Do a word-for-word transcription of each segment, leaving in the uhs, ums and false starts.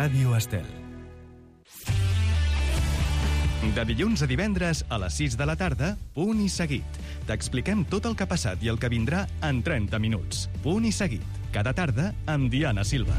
Ràdio Estel. De dilluns a divendres a les sis de la tarda, Punt i Seguit. T'expliquem tot el que ha passat i el que vindrà en trenta minuts. Punt i Seguit. Cada tarda amb Diana Silva.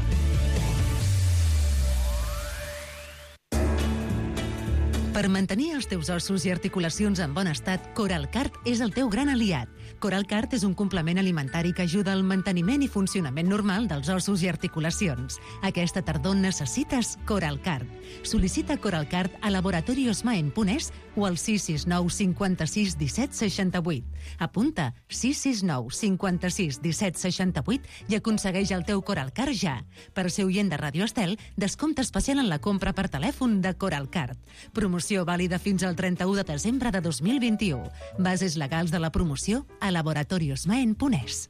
Per mantenir els teus ossos i articulacions en bon estat, Coralcart és el teu gran aliat. Coralcart és un complement alimentari que ajuda al manteniment i funcionament normal dels ossos i articulacions. Aquesta tardor necessites Coralcart. Sol·licita Coralcart a laboratorios maen punt es o al sis sis nou cinquanta-sis disset seixanta-vuit. Apunta sis sis nou cinquanta-sis disset seixanta-vuit i aconsegueix el teu Coralcart ja. Per ser oient de Ràdio Estel, descompte especial en la compra per telèfon de Coralcart. Promoció vàlida fins al trenta-u de desembre de dos mil vint-i-u. Bases legals de la promoció a laboratorios maen punt es.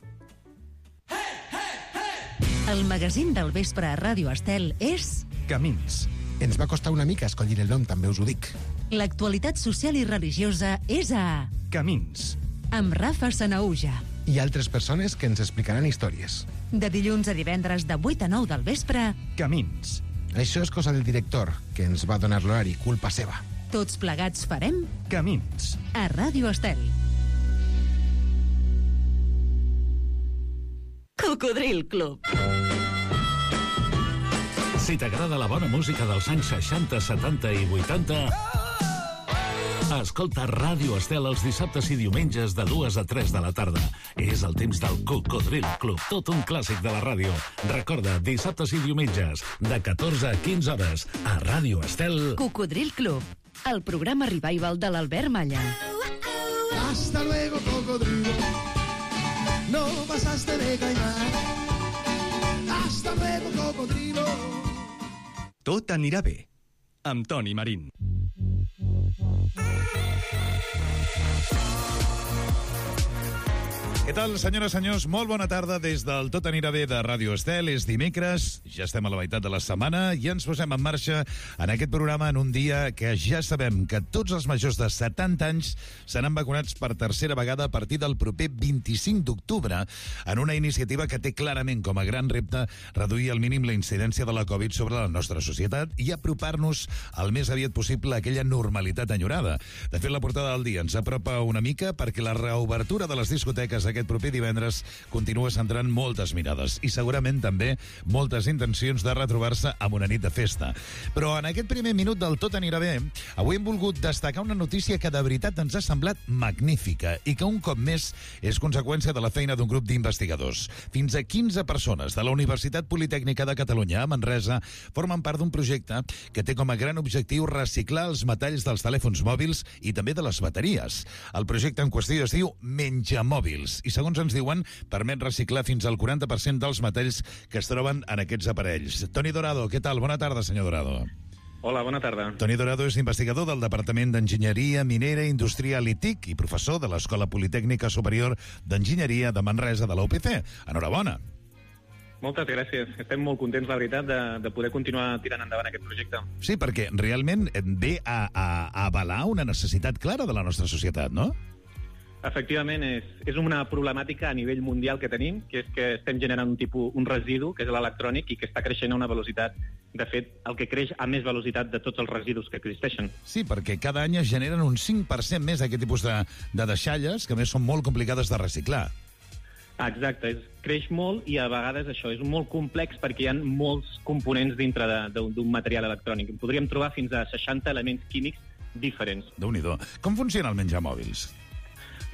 El magazín del vespre a Ràdio Estel és... Camins. Ens va costar una mica escollir el nom, també us ho dic. L'actualitat social i religiosa és a... Camins. Amb Rafa Sanaúja. I altres persones que ens explicaran històries. De dilluns a divendres de vuit a nou del vespre... Camins. Això és cosa del director, que ens va donar l'horari, culpa seva. Tots plegats farem... Camins. A Ràdio Estel. Cocodril Club. Si t'agrada la bona música dels anys seixanta, setanta i vuitanta... Escolta Ràdio Estel els dissabtes i diumenges de dues a tres de la tarda. És el temps del Cocodril Club, tot un clàssic de la ràdio. Recorda, dissabtes i diumenges, de catorze a quinze hores, a Ràdio Estel... Cocodril Club, el programa revival de l'Albert Malla. Hasta luego, cocodrilo. No pasaste de caimán. Hasta luego, cocodrilo. Tot anirà bé. Amb Toni Marín. Què tal, senyores i senyors? Molt bona tarda des del Tot anirà bé de Ràdio Estel. És dimecres, ja estem a la meitat de la setmana i ens posem en marxa en aquest programa en un dia que ja sabem que tots els majors de setanta anys seran vacunats per tercera vegada a partir del proper vint-i-cinc d'octubre en una iniciativa que té clarament com a gran repte reduir al mínim la incidència de la Covid sobre la nostra societat i apropar-nos el més aviat possible a aquella normalitat enyorada. De fet, la portada del dia ens apropa una mica perquè la reobertura de les discoteques aquest proper divendres continua centrant moltes mirades i segurament també moltes intencions de retrobar-se amb una nit de festa. Però en aquest primer minut del Tot anirà bé, avui hem volgut destacar una notícia que de veritat ens ha semblat magnífica i que un cop més és conseqüència de la feina d'un grup d'investigadors. Fins a quinze persones de la Universitat Politècnica de Catalunya a Manresa formen part d'un projecte que té com a gran objectiu reciclar els metalls dels telèfons mòbils i també de les bateries. El projecte en qüestió es diu Menjamòbils i, segons ens diuen, permet reciclar fins al quaranta per cent dels metalls que es troben en aquests aparells. Toni Dorado, què tal? Bona tarda, senyor Dorado. Hola, bona tarda. Toni Dorado és investigador del Departament d'Enginyeria Minera Industrial i T I C i professor de l'Escola Politècnica Superior d'Enginyeria de Manresa de la U P C. Enhorabona. Moltes gràcies. Estem molt contents, la veritat, de, de poder continuar tirant endavant aquest projecte. Sí, perquè realment ve a, a, a avalar una necessitat clara de la nostra societat, no? Efectivament, és, és una problemàtica a nivell mundial que tenim, que és que estem generant un tipus, un residu, que és l'electrònic, i que està creixent a una velocitat, de fet, el que creix a més velocitat de tots els residus que existeixen. Sí, perquè cada any es generen un cinc per cent més d'aquest tipus de, de deixalles, que a més són molt complicades de reciclar. Exacte, és, creix molt i a vegades això és molt complex perquè hi ha molts components dintre d'un material electrònic. Podríem trobar fins a seixanta elements químics diferents. Déu-n'hi-do. Com funciona el Menjamòbils?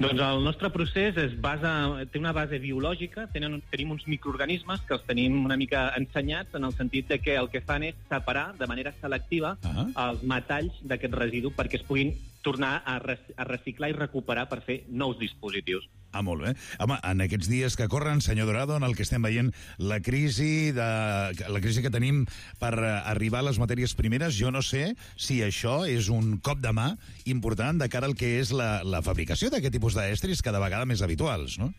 Doncs el nostre procés es basa, té una base biològica, tenen, tenim uns microorganismes que els tenim una mica ensenyats en el sentit de que el que fan és separar de manera selectiva uh-huh. els metalls d'aquest residu perquè es puguin tornar a, rec- a reciclar i recuperar per fer nous dispositius. Ah, molt bé. Home, en aquests dies que corren, senyor Dorado, en el que estem veient la crisi, de, la crisi que tenim per arribar a les matèries primeres, jo no sé si això és un cop de mà important de cara al que és la, la fabricació d'aquest tipus d'estris cada vegada més habituals, no?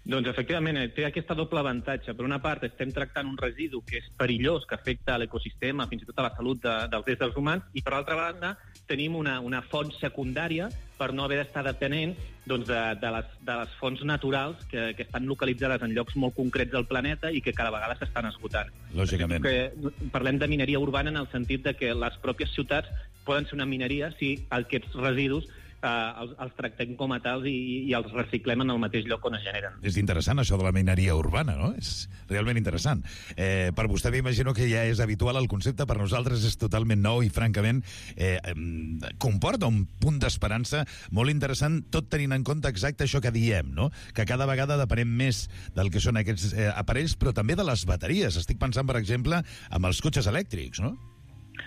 Doncs, efectivament, té aquesta doble avantatge. Per una part, estem tractant un residu que és perillós, que afecta l'ecosistema, fins i tot a la salut de, dels éssers humans, i, per altra banda, tenim una, una font secundària per no haver d'estar depenent doncs, de, de, les, de les fonts naturals que, que estan localitzades en llocs molt concrets del planeta i que cada vegada s'estan esgotant. Lògicament. Que parlem de mineria urbana en el sentit de que les pròpies ciutats poden ser una mineria si aquests residus eh, els, els tractem com a tals i, i els reciclem en el mateix lloc on es generen. És interessant, això de la mineria urbana, no? És realment interessant. Eh, per vostè m'imagino que ja és habitual el concepte, per nosaltres és totalment nou i, francament, eh, comporta un punt d'esperança molt interessant, tot tenint en compte exacte això que diem, no? Que cada vegada depenem més del que són aquests eh, aparells, però també de les bateries. Estic pensant, per exemple, amb els cotxes elèctrics, no?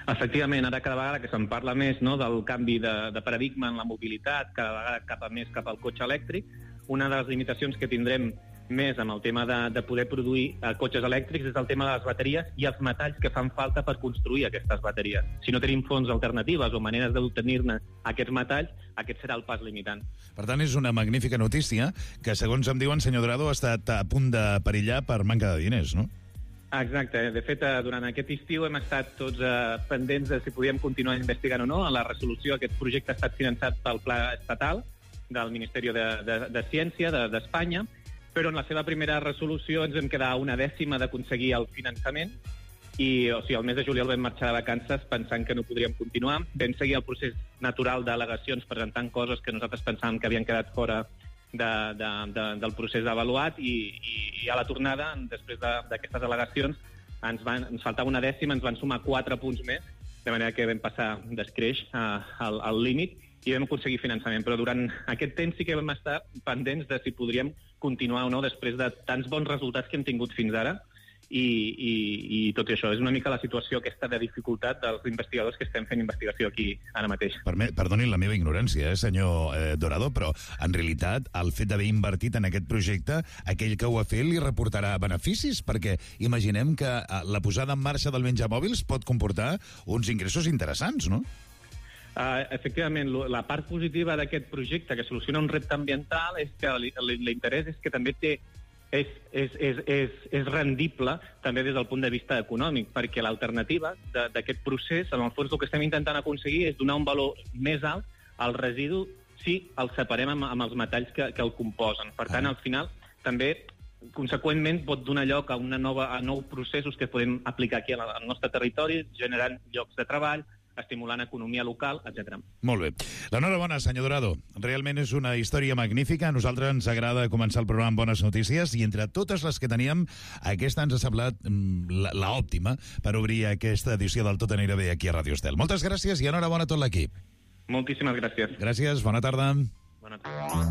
Efectivament, ara cada vegada que se'n parla més, no, del canvi de, de paradigma en la mobilitat, cada vegada cap a més cap al cotxe elèctric, una de les limitacions que tindrem més amb el tema de, de poder produir eh, cotxes elèctrics és el tema de les bateries i els metalls que fan falta per construir aquestes bateries. Si no tenim fonts alternatives o maneres d'obtenir-ne aquests metalls, aquest serà el pas limitant. Per tant, és una magnífica notícia que, segons em diuen, senyor Dorado, ha estat a punt de perillar per manca de diners, no? Exacte. De fet, durant aquest estiu hem estat tots eh, pendents de si podíem continuar investigant o no. En la resolució, aquest projecte ha estat finançat pel Pla Estatal del Ministeri de, de, de Ciència d'Espanya, de, però en la seva primera resolució ens vam quedar una dècima d'aconseguir el finançament i, o sigui, el mes de juliol vam marxar de vacances pensant que no podríem continuar. Vam seguir el procés natural d'al·legacions presentant coses que nosaltres pensàvem que havien quedat fora De, de, de, del procés avaluat i, i, i a la tornada, després d'aquestes al·legacions, ens, van, ens faltava una dècima, ens van sumar quatre punts més, de manera que vam passar d'escreix al, al límit i vam aconseguir finançament. Però durant aquest temps sí que vam estar pendents de si podríem continuar o no després de tants bons resultats que hem tingut fins ara. I, i, i tot i això, és una mica la situació aquesta de dificultat dels investigadors que estem fent investigació aquí ara mateix. Perme- Perdonin la meva ignorància, eh, senyor eh, Dorado, però en realitat el fet d'haver invertit en aquest projecte, aquell que ho ha fet li reportarà beneficis, perquè imaginem que eh, la posada en marxa del menjamòbils pot comportar uns ingressos interessants, no? Uh, efectivament, la part positiva d'aquest projecte que soluciona un repte ambiental és que l'interès és que també té És, és, és, és, és rendible també des del punt de vista econòmic, perquè l'alternativa d'aquest procés, en el fons el que estem intentant aconseguir és donar un valor més alt al residu si el separem amb, amb els metalls que, que el composen. Per tant, al final, també, conseqüentment, pot donar lloc a, una nova, a nous processos que podem aplicar aquí al nostre territori, generant llocs de treball, estimulant economia local, etcètera. Molt bé. L'enhorabona, senyor Dorado. Realment és una història magnífica. A nosaltres ens agrada començar el programa amb bones notícies i entre totes les que teníem, aquesta ens ha semblat mm, l'òptima per obrir aquesta edició del Tot anirà bé aquí a Ràdio Estel. Moltes gràcies i enhorabona a tot l'equip. Moltíssimes gràcies. Gràcies, bona tarda. Bona tarda.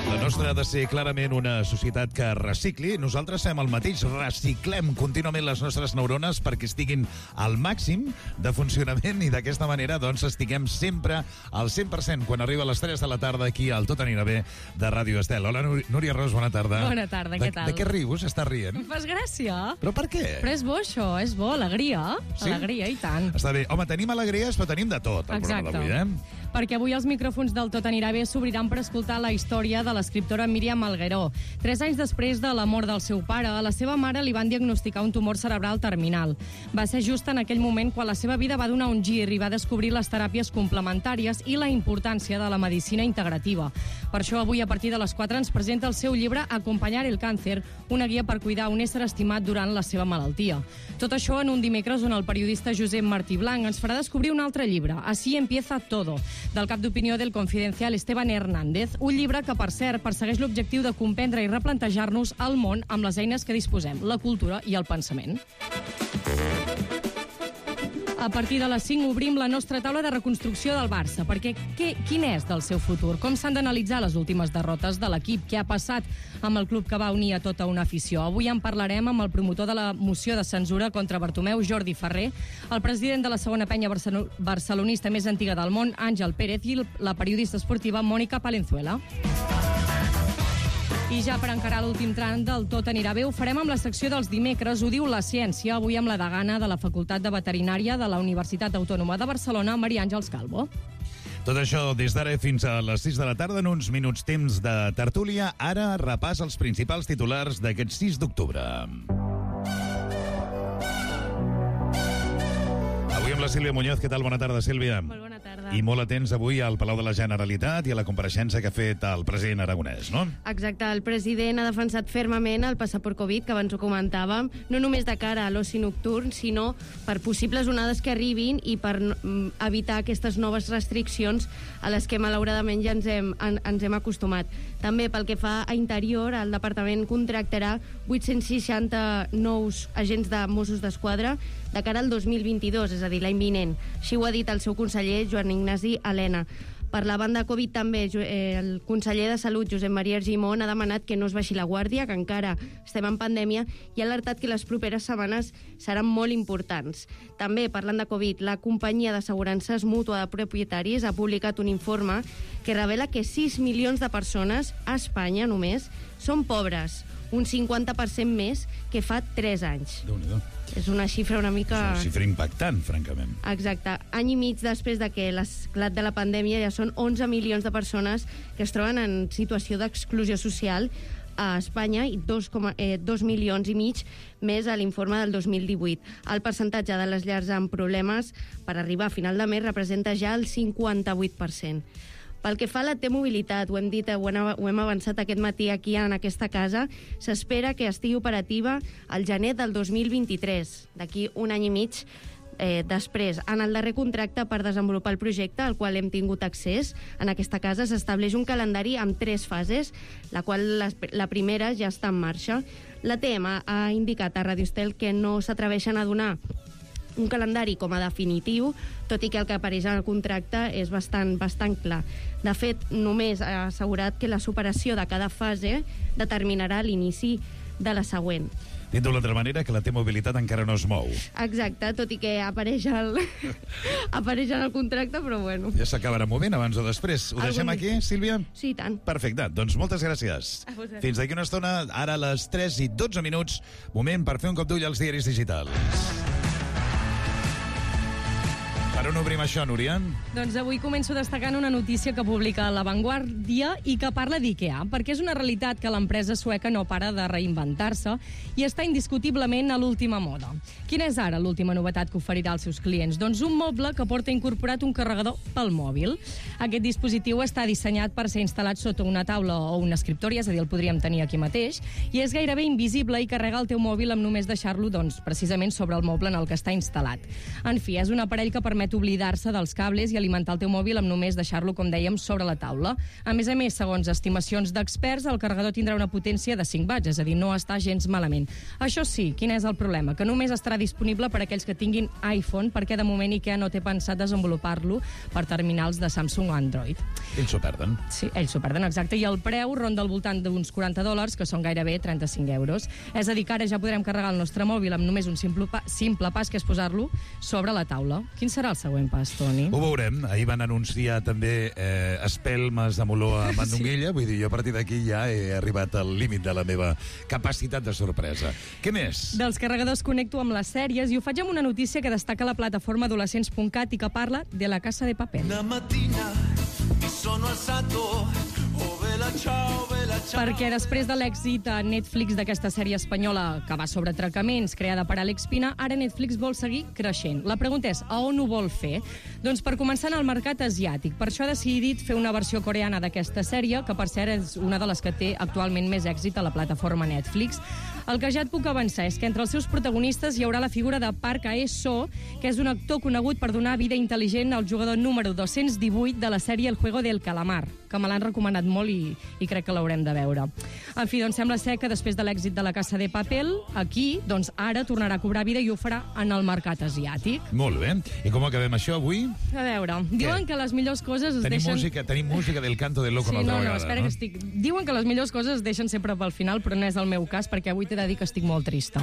La nostra ha de ser clarament una societat que recicli. Nosaltres fem el mateix, reciclem contínuament les nostres neurones perquè estiguin al màxim de funcionament i d'aquesta manera doncs estiguem sempre al cent per cent quan arriba a les tres de la tarda aquí al Tot anirà bé de Ràdio Estel. Hola, Núria Ros, bona tarda. Bona tarda, què tal? De, de què rius? Estàs rient? Em fas gràcia. Però per què? Però és bo, això, és bo, alegria. Sí? Alegria, i tant. Està bé. Home, tenim alegries, però tenim de tot al programa d'avui, eh? Perquè avui els micròfons del Tot anirà bé s'obriran per escoltar la història de l'escriptora Míriam Algueró. Tres anys després de la mort del seu pare, a la seva mare li van diagnosticar un tumor cerebral terminal. Va ser just en aquell moment quan la seva vida va donar un gir i va descobrir les teràpies complementàries i la importància de la medicina integrativa. Per això avui a partir de les quatre ens presenta el seu llibre Acompanyar el càncer, una guia per cuidar un ésser estimat durant la seva malaltia. Tot això en un dimecres on el periodista Josep Martí Blanc ens farà descobrir un altre llibre, Así empieza todo, del cap d'opinió del Confidencial Esteban Hernández, un llibre que, per cert, persegueix l'objectiu de comprendre i replantejar-nos el món amb les eines que disposem, la cultura i el pensament. A partir de les cinc obrim la nostra taula de reconstrucció del Barça, perquè què, quin és del seu futur? Com s'han d'analitzar les últimes derrotes de l'equip? Què ha passat amb el club que va unir a tota una afició? Avui en parlarem amb el promotor de la moció de censura contra Bartomeu, Jordi Ferrer, el president de la segona penya barcelonista més antiga del món, Àngel Pérez, i la periodista esportiva Mònica Palenzuela. I ja per encarar l'últim tram del Tot anirà bé, ho farem amb la secció dels dimecres, ho diu la ciència, avui amb la degana de la Facultat de Veterinària de la Universitat Autònoma de Barcelona, Maria Àngels Calvo. Tot això des d'ara fins a les sis de la tarda, en uns minuts temps de tertúlia. Ara repàs els principals titulars d'aquest sis d'octubre. Avui amb la Sílvia Muñoz. Què tal? Bona tarda, Sílvia. Molt bona tarda. I molt atents avui al Palau de la Generalitat i a la compareixença que ha fet el president aragonès, no? Exacte. El president ha defensat fermament el passaport Covid, que abans ho comentàvem, no només de cara a l'oci nocturn, sinó per possibles onades que arribin i per evitar aquestes noves restriccions a les que malauradament ja ens hem, en, ens hem acostumat. També pel que fa a interior, el departament contractarà vuit-cents seixanta nous agents de Mossos d'Esquadra de cara al dos mil vint-i-dos, és a dir, l'any vinent. Així ho ha dit el seu conseller, Joan Ignasi Elena. Per la banda Covid també, el conseller de Salut, Josep Maria Argimon, ha demanat que no es baixi la guàrdia, que encara estem en pandèmia, i ha alertat que les properes setmanes seran molt importants. També, parlant de Covid, la companyia d'assegurances mútua de propietaris ha publicat un informe que revela que sis milions de persones a Espanya només són pobres, un cinquanta per cent més que fa tres anys. Déu-n'hi-do. És una xifra una mica... És una xifra impactant, francament. Exacte. Any i mig després de que l'esclat de la pandèmia ja són onze milions de persones que es troben en situació d'exclusió social a Espanya i dos, eh, dos milions i mig més a l'informe del dos mil divuit. El percentatge de les llars amb problemes per arribar a final de mes representa ja el cinquanta-vuit per cent. Pel que fa a la T-Mobilitat, ho hem dit, ho hem avançat aquest matí aquí en aquesta casa, s'espera que estigui operativa al gener del dos mil vint-i-tres, d'aquí un any i mig eh, després. En el darrer contracte per desenvolupar el projecte, al qual hem tingut accés, en aquesta casa s'estableix un calendari amb tres fases, la qual la, la primera ja està en marxa. La T M ha indicat a Radio Estel que no s'atreveixen a donar un calendari com a definitiu, tot i que el que apareix en el contracte és bastant, bastant clar. De fet, només ha assegurat que la superació de cada fase determinarà l'inici de la següent. Dit d'una altra manera, que la T-Mobilitat encara no es mou. Exacte, tot i que apareix, el... apareix en el contracte, però bueno. Ja s'acabarà movent abans o després. Ho deixem Algun... aquí, Sílvia? Sí, i tant. Perfecte, doncs moltes gràcies. Fins d'aquí una estona, ara a les tres i dotze minuts, moment per fer un cop d'ull als diaris digitals. Per on obrim això, Núria? Doncs avui començo destacant una notícia que publica La Vanguardia i que parla d'IKEA, perquè és una realitat que l'empresa sueca no para de reinventar-se i està indiscutiblement a l'última moda. Quina és ara l'última novetat que oferirà als seus clients? Doncs un moble que porta incorporat un carregador pel mòbil. Aquest dispositiu està dissenyat per ser instal·lat sota una taula o un escriptori, és a dir, el podríem tenir aquí mateix, i és gairebé invisible i carrega el teu mòbil amb només deixar-lo, doncs, precisament sobre el moble en el que està instal·lat. En fi, és un aparell que permet oblidar-se dels cables i alimentar el teu mòbil amb només deixar-lo, com dèiem, sobre la taula. A més a més, segons estimacions d'experts, el carregador tindrà una potència de cinc watts, és a dir, no està gens malament. Això sí, quin és el problema? Que només estarà disponible per a aquells que tinguin iPhone, perquè de moment IKEA no té pensat desenvolupar-lo per terminals de Samsung o Android. Ells s'ho perden. Sí, ells s'ho perden, exacte. I el preu ronda al voltant d'uns quaranta dòlars, que són gairebé trenta-cinc euros. És a dir, que ara ja podrem carregar el nostre mòbil amb només un simple, pa simple pas, que és posar-lo sobre la taula. Quin serà el següent pas, Toni? Ho veurem. Ahir van anunciar també eh, espelmes de moló a Mandonguilla. Sí. Vull dir, jo a partir d'aquí ja he arribat al límit de la meva capacitat de sorpresa. Què més? Dels carregadors connecto amb les sèries i ho faig amb una notícia que destaca la plataforma adolescents punt cat i que parla de La Casa de Papel. Una mattina mi sono alzato, oh vela ciao, vela ciao. Perquè després de l'èxit a Netflix d'aquesta sèrie espanyola que va sobre atracaments, creada per Àlex Pina, ara Netflix vol seguir creixent. La pregunta és, a on ho vol fer? Doncs per començar en el mercat asiàtic. Per això ha decidit fer una versió coreana d'aquesta sèrie, que per cert és una de les que té actualment més èxit a la plataforma Netflix. El que ja et puc avançar és que entre els seus protagonistes hi haurà la figura de Park Hae-soo, que és un actor conegut per donar vida intel·ligent al jugador número dos-cents divuit de la sèrie El Juego del Calamar, que me l'han recomanat molt i, i crec que l'haurem de veure. En fi, doncs sembla ser que després de l'èxit de La Casa de Papel, aquí, doncs ara tornarà a cobrar vida i ho farà en el mercat asiàtic. Molt bé. I com acabem això avui? A veure, diuen que les millors coses es tenim deixen... Música, tenim música del Canto del Loco sí, una altra no, no, vegada, espera no? que estic... Diuen que les millors coses es deixen sempre pel final, però no és el meu cas, perquè avui t'he de dir que estic molt trista.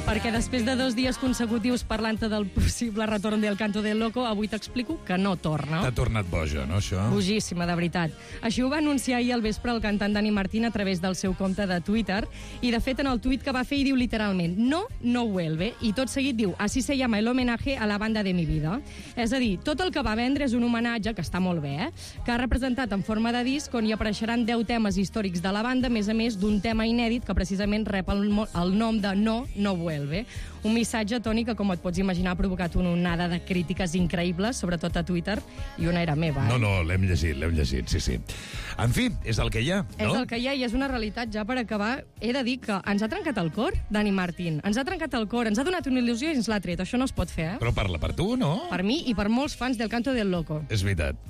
Per perquè després de dos dies consecutius parlant-te del possible retorn del Canto del Loco, avui t'explico que no torna. T'ha tornat boja, no, això? Bogíssima, de veritat. Així ho va anunciar ahir al vespre el cantant Dani Martín a través del seu compte de Twitter, i de fet en el tuit que va fer hi diu literalment no, no vuelve, i tot seguit diu así se llama el homenaje a la banda de mi vida. És a dir, tot el que va vendre és un homenatge, que està molt bé, eh? que ha representat en forma de disc on hi apareixeran deu temes històrics de la banda, a més a més d'un tema inèdit que precisament rep el, el nom de No, no vuelve. Un missatge, Toni, que com et pots imaginar ha provocat una onada de crítiques increïbles, sobretot a Twitter, i una era meva. Eh? No, no, l'hem llegit, l'hem llegit, sí, sí. En fi, és el que hi ha, no? És el que hi ha i és una realitat. Ja per acabar, he de dir que ens ha trencat el cor, Dani Martín. Ens ha trencat el cor, ens ha donat una il·lusió i ens l'ha tret. Això no es pot fer, eh? Però parla per tu, no? Per mi i per molts fans del Canto del Loco. És veritat.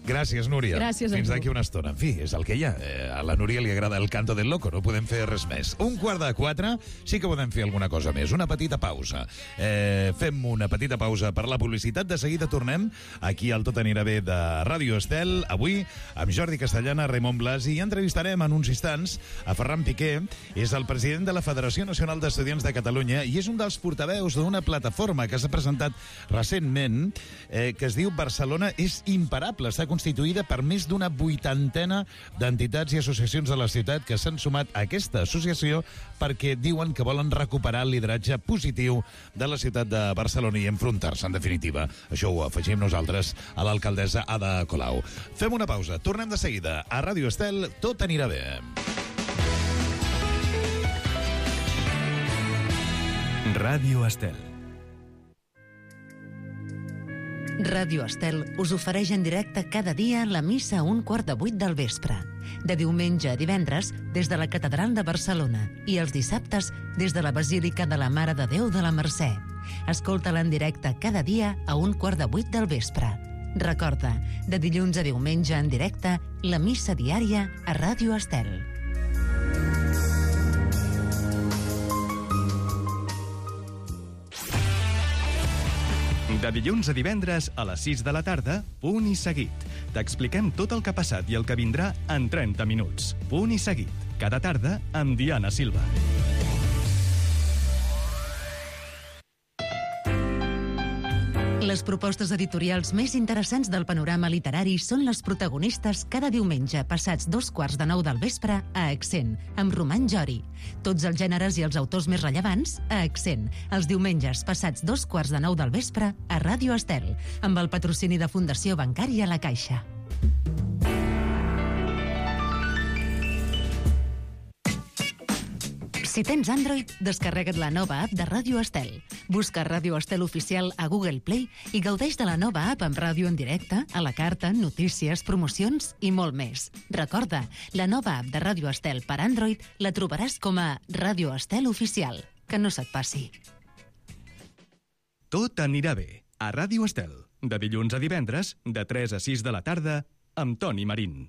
Gràcies, Núria. Gràcies a Fins tu. d'aquí una estona. En fi, és el que hi ha. Eh, a la Núria li agrada el Canto del Loco, no podem fer res més. Un quart de quatre, sí que podem fer alguna cosa més. Una petita pausa. Eh, fem una petita pausa per la publicitat. De seguida tornem aquí al Tot anirà bé de Ràdio Estel. Avui amb Jordi Castellana, Raimon Blasi, i entrevistarem en uns instants a Ferran Piqué. És el president de la Federació Nacional d'Estudiants de Catalunya i és un dels portaveus d'una plataforma que s'ha presentat recentment eh, que es diu Barcelona és imparable. Està constituïda per més d'una vuitantena d'entitats i associacions de la ciutat que s'han sumat a aquesta associació perquè diuen que volen recuperar el lideratge positiu de la ciutat de Barcelona i enfrontar-se, en definitiva. Això ho afegim nosaltres a l'alcaldessa Ada Colau. Fem una pausa. Tornem de seguida. A Ràdio Estel, tot anirà bé. Ràdio Estel. Ràdio Estel us ofereix en directe cada dia la missa a un quart de vuit del vespre. De diumenge a divendres, des de la Catedral de Barcelona, i els dissabtes, des de la Basílica de la Mare de Déu de la Mercè. Escolta-la en directe cada dia a un quart de vuit del vespre. Recorda, de dilluns a diumenge en directe, la missa diària a Ràdio Estel. De dilluns a divendres a les sis de la tarda, Punt i Seguit. T'expliquem tot el que ha passat i el que vindrà en trenta minuts. Punt i Seguit. Cada tarda amb Diana Silva. Les propostes editorials més interessants del panorama literari són les protagonistes cada diumenge passats dos quarts de nou del vespre a Accent, amb Roman Jori. Tots els gèneres i els autors més rellevants a Accent, els diumenges passats dos quarts de nou del vespre a Ràdio Estel, amb el patrocini de Fundació Bancària La Caixa. Si tens Android, descarrega't la nova app de Ràdio Estel. Busca Ràdio Estel Oficial a Google Play i gaudeix de la nova app amb ràdio en directe, a la carta, notícies, promocions i molt més. Recorda, la nova app de Ràdio Estel per Android la trobaràs com a Ràdio Estel Oficial. Que no se't passi. Tot anirà bé a Ràdio Estel. De dilluns a divendres, de tres a sis de la tarda, amb Toni Marín.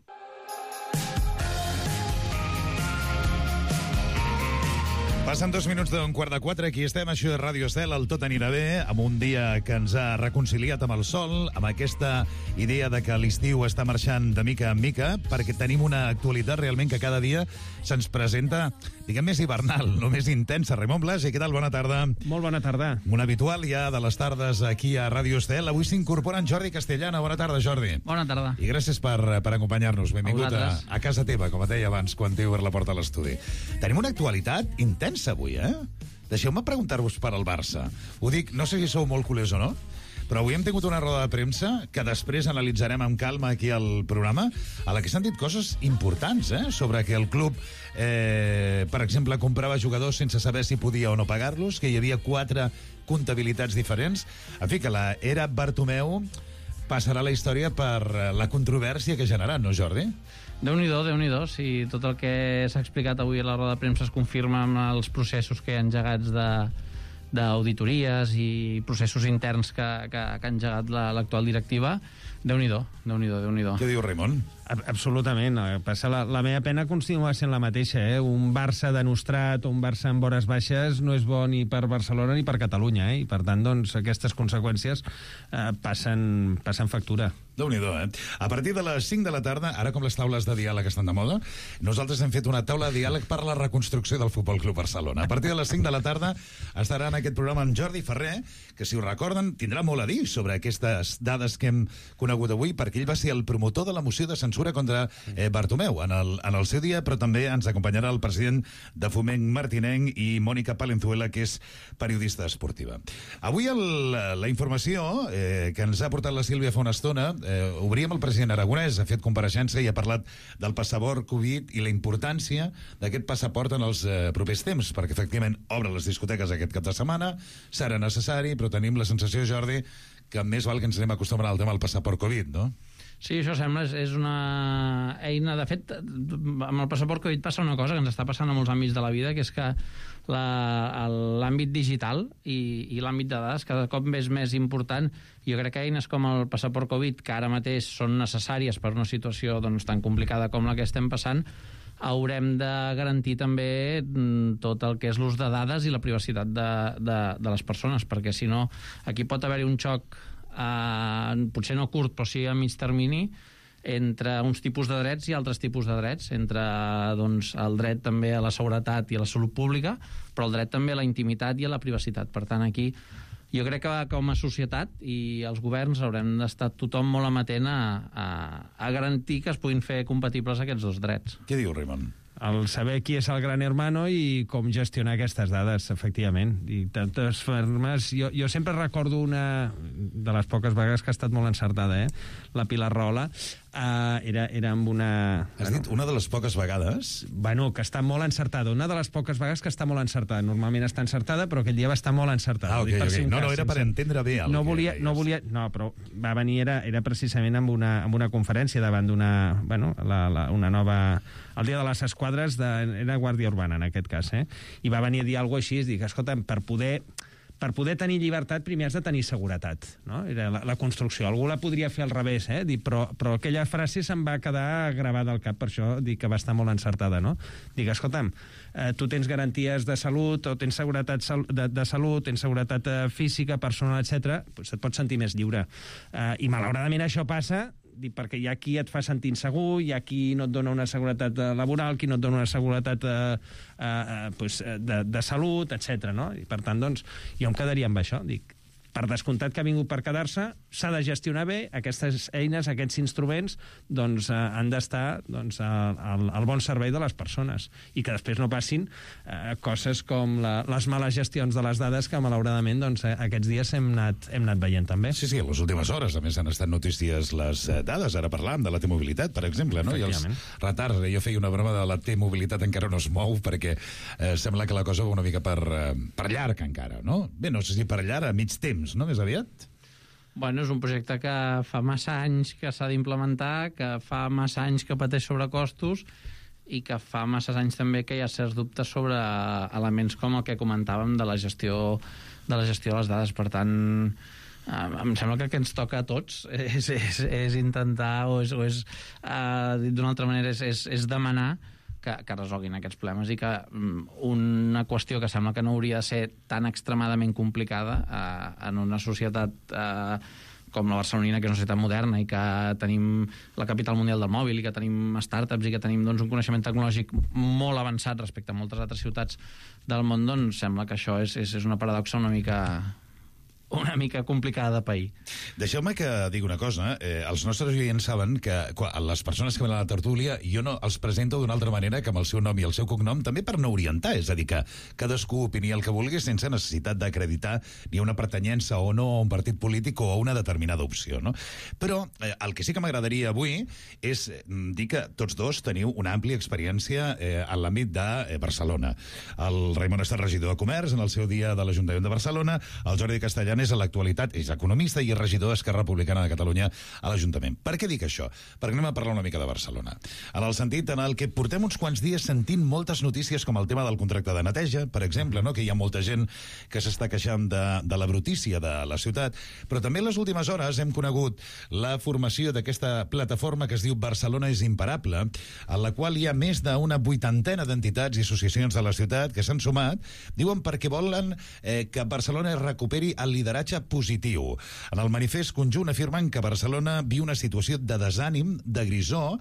Passen dos minuts d'un quart de quatre, aquí estem, això de Ràdio Estel, el Tot anirà bé, amb un dia que ens ha reconciliat amb el sol, amb aquesta idea de que l'estiu està marxant de mica en mica, perquè tenim una actualitat realment que cada dia se'ns presenta, diguem, més hivernal, no més intensa. Raimon Blasi, què tal? Bona tarda. Molt bona tarda. Un habitual ja de les tardes aquí a Ràdio Estel. Avui s'incorpora en Jordi Castellana. Bona tarda, Jordi. Bona tarda. I gràcies per, per acompanyar-nos. Benvingut a, a, a casa teva, com et deia abans, quan t'he obert la porta a l'estudi. Tenim una actualitat intensa avui, eh? Deixeu-me preguntar-vos per al Barça. Ho dic, no sé si sou molt culers o no, però avui hem tingut una roda de premsa que després analitzarem amb calma aquí al programa, a la que s'han dit coses importants, eh? Sobre que el club, eh, per exemple, comprava jugadors sense saber si podia o no pagar-los, que hi havia quatre comptabilitats diferents. En fi, que la era Bartomeu passarà a la història per la controvèrsia que ha generat, no, Jordi? Déu-n'hi-do, Déu-n'hi-do. Si tot el que s'ha explicat avui a la roda de premsa es confirma amb els processos que hi ha engegats de d'auditories i processos interns que, que, que ha engegat l'actual directiva, Déu-n'hi-do, Déu-n'hi-do, Déu-n'hi-do. Què diu Raimon? Absolutament. Passa la, la meva pena continua sent la mateixa. Eh? Un Barça denostrat o un Barça amb hores baixes no és bo ni per Barcelona ni per Catalunya. Eh? I per tant, doncs, aquestes conseqüències eh, passen, passen factura. Déu-n'hi-do, eh? A partir de les cinc de la tarda, ara com les taules de diàleg estan de moda, nosaltres hem fet una taula de diàleg per la reconstrucció del Futbol Club Barcelona. A partir de les cinc de la tarda estarà en aquest programa en Jordi Ferrer, que, si ho recorden, tindrà molt a dir sobre aquestes dades que hem conegut avui, perquè ell va ser el promotor de la moció de censura contra eh, Bartomeu en el, en el seu dia, però també ens acompanyarà el president de Foment Martinenc i Mònica Palenzuela, que és periodista esportiva. Avui el, la informació eh, que ens ha portat la Sílvia fa una estona, eh, obríem el president Aragonès, ha fet compareixença i ha parlat del passaport Covid i la importància d'aquest passaport en els eh, propers temps, perquè efectivament obre les discoteques aquest cap de setmana, serà necessari, però tenim la sensació, Jordi, que més val que ens anem acostumant al tema del passaport Covid, no? Sí, això sembla, és una eina... De fet, amb el passaport Covid passa una cosa que ens està passant a molts àmbits de la vida, que és que l'àmbit digital i, i l'àmbit de dades cada cop és més important. Jo crec que eines com el passaport Covid, que ara mateix són necessàries per una situació doncs, tan complicada com la que estem passant, haurem de garantir també tot el que és l'ús de dades i la privacitat de, de, de les persones, perquè si no, aquí pot haver-hi un xoc Uh, potser no curt, però sí a mig termini, entre uns tipus de drets i altres tipus de drets, entre doncs, el dret també a la seguretat i a la salut pública, però el dret també a la intimitat i a la privacitat. Per tant, aquí jo crec que com a societat i els governs haurem d'estar tothom molt amatent a, a, a garantir que es puguin fer compatibles aquests dos drets. Què diu Raimon? El saber qui és el gran hermano i com gestionar aquestes dades, efectivament. I tantes formes... Jo, jo sempre recordo una de les poques vegades que ha estat molt encertada, eh? La Pilar Rahola. Uh, era, era amb una... Has bueno, dit una de les poques vegades? Bueno, que està molt encertada. Una de les poques vegades que està molt encertada. Normalment està encertada, però aquell dia va estar molt encertada. Ah, ok, ok. No, no, era per entendre bé el no volia, no volia, no, però va venir, era, era precisament amb una, amb una conferència davant d'una... Bueno, la, la, una nova... El dia de les esquadres de, era Guàrdia Urbana, en aquest cas, eh? I va venir a dir alguna cosa així, dic, escolta, per poder... Per poder tenir llibertat, primer has de tenir seguretat, no? Era la, la construcció. Algú la podria fer al revés, eh? Dic, però, però aquella frase se'm va quedar gravada al cap, per això dic que va estar molt encertada, no? Dic, escolta'm, eh, tu tens garanties de salut, o tens seguretat de, de salut, tens seguretat eh, física, personal, etcètera, doncs et pots sentir més lliure. Eh, I malauradament això passa... Dic, perquè hi ha qui et fa sentir insegur, hi ha qui no et dona una seguretat laboral, qui no et dona una seguretat eh, eh, pues, de, de salut, etcètera. No? I per tant, doncs, jo em quedaria amb això. Dic, per descomptat que ha vingut per quedar-se, s'ha de gestionar bé, aquestes eines, aquests instruments, doncs, eh, han d'estar doncs, al, al bon servei de les persones i que després no passin eh, coses com la, les males gestions de les dades que, malauradament, doncs, eh, aquests dies hem anat, hem anat veient també. Sí, sí, a les últimes hores, a més, han estat notícies les eh, dades. Ara parlàvem de la T-mobilitat, per exemple, no? I els retards. Jo feia una broma de la T-mobilitat encara no es mou perquè eh, sembla que la cosa va una mica per, eh, per llarg encara, no? Bé, no sé si per llarg, a mig temps, no? Més aviat? Bueno, és un projecte que fa massa anys que s'ha d'implementar, que fa massa anys que pateix sobrecostos i que fa massa anys també que hi ha certs dubtes sobre elements com el que comentàvem de la gestió de la gestió de les dades. Per tant, em sembla que el que ens toca a tots és, és, és intentar, o és, o és uh, dit d'una altra manera, és, és, és demanar que, que resolguin aquests problemes i que um, una qüestió que sembla que no hauria de ser tan extremadament complicada uh, en una societat uh, com la barcelonina, que és una societat moderna i que tenim la capital mundial del mòbil i que tenim startups i que tenim doncs, un coneixement tecnològic molt avançat respecte a moltes altres ciutats del món, doncs sembla que això és, és, és una paradoxa una mica... una mica complicada de pair. Deixeu-me que digui una cosa. Eh, els nostres oients saben que quan, les persones que venen a la tertúlia jo no els presento d'una altra manera que amb el seu nom i el seu cognom, també per no orientar. És a dir, que cadascú opini el que vulgui sense necessitat d'acreditar ni una pertanyença o no a un partit polític o a una determinada opció, no? Però eh, el que sí que m'agradaria avui és dir que tots dos teniu una àmplia experiència eh, en l'àmbit de eh, Barcelona. El Raimon ha estat regidor de Comerç en el seu dia de l'Ajuntament de Barcelona, el Jordi Castellano tant, és a l'actualitat, és economista i és regidor d'Esquerra Republicana de Catalunya a l'Ajuntament. Per què dic això? Perquè anem a parlar una mica de Barcelona. En el sentit en el que portem uns quants dies sentint moltes notícies com el tema del contracte de neteja, per exemple, no? Que hi ha molta gent que s'està queixant de, de la brutícia de la ciutat, però també en les últimes hores hem conegut la formació d'aquesta plataforma que es diu Barcelona és imparable, en la qual hi ha més d'una vuitantena d'entitats i associacions de la ciutat que s'han sumat, diuen perquè volen eh, que Barcelona recuperi el lideratge positiu. En el manifest conjunt afirmen que Barcelona viu una situació de desànim, de grisó,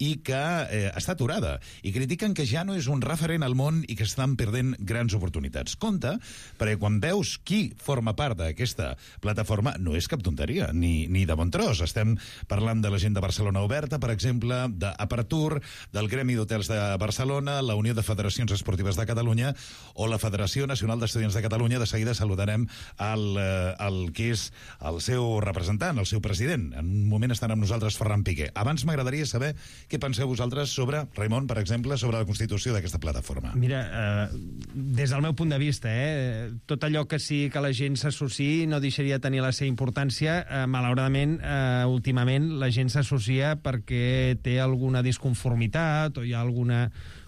i que eh, està aturada, i critiquen que ja no és un referent al món i que estan perdent grans oportunitats. Compte, perquè quan veus qui forma part d'aquesta plataforma, no és cap tonteria, ni, ni de bon tros. Estem parlant de la gent de Barcelona Oberta, per exemple, d'Apertur, del Gremi d'Hotels de Barcelona, la Unió de Federacions Esportives de Catalunya o la Federació Nacional d'Estudiants de Catalunya. De seguida saludarem el, el que és el seu representant, el seu president. En un moment estan amb nosaltres Ferran Piqué. Abans m'agradaria saber què penseu vosaltres sobre, Raimon, per exemple, sobre la constitució d'aquesta plataforma. Mira, eh, des del meu punt de vista, eh, tot allò que sí que la gent s'associï no deixaria de tenir la seva importància. Eh, malauradament, eh, últimament, la gent s'associa perquè té alguna disconformitat o hi ha alguna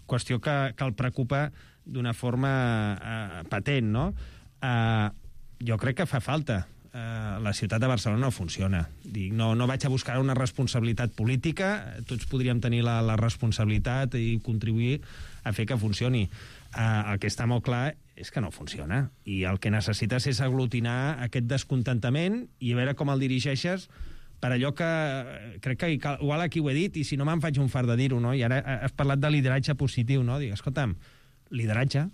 qüestió que, que el preocupa d'una forma eh, patent, no? Eh, jo crec que fa falta. Uh, la ciutat de Barcelona no funciona. Dic, no, no vaig a buscar una responsabilitat política, tots podríem tenir la, la responsabilitat i contribuir a fer que funcioni. Uh, el que està molt clar és que no funciona, i el que necessites és aglutinar aquest descontentament i a veure com el dirigeixes per allò que crec que igual aquí ho he dit i si no me'n faig un fart de dir-ho, no? I ara has parlat de lideratge positiu, no? Dic, escolta'm, lideratge,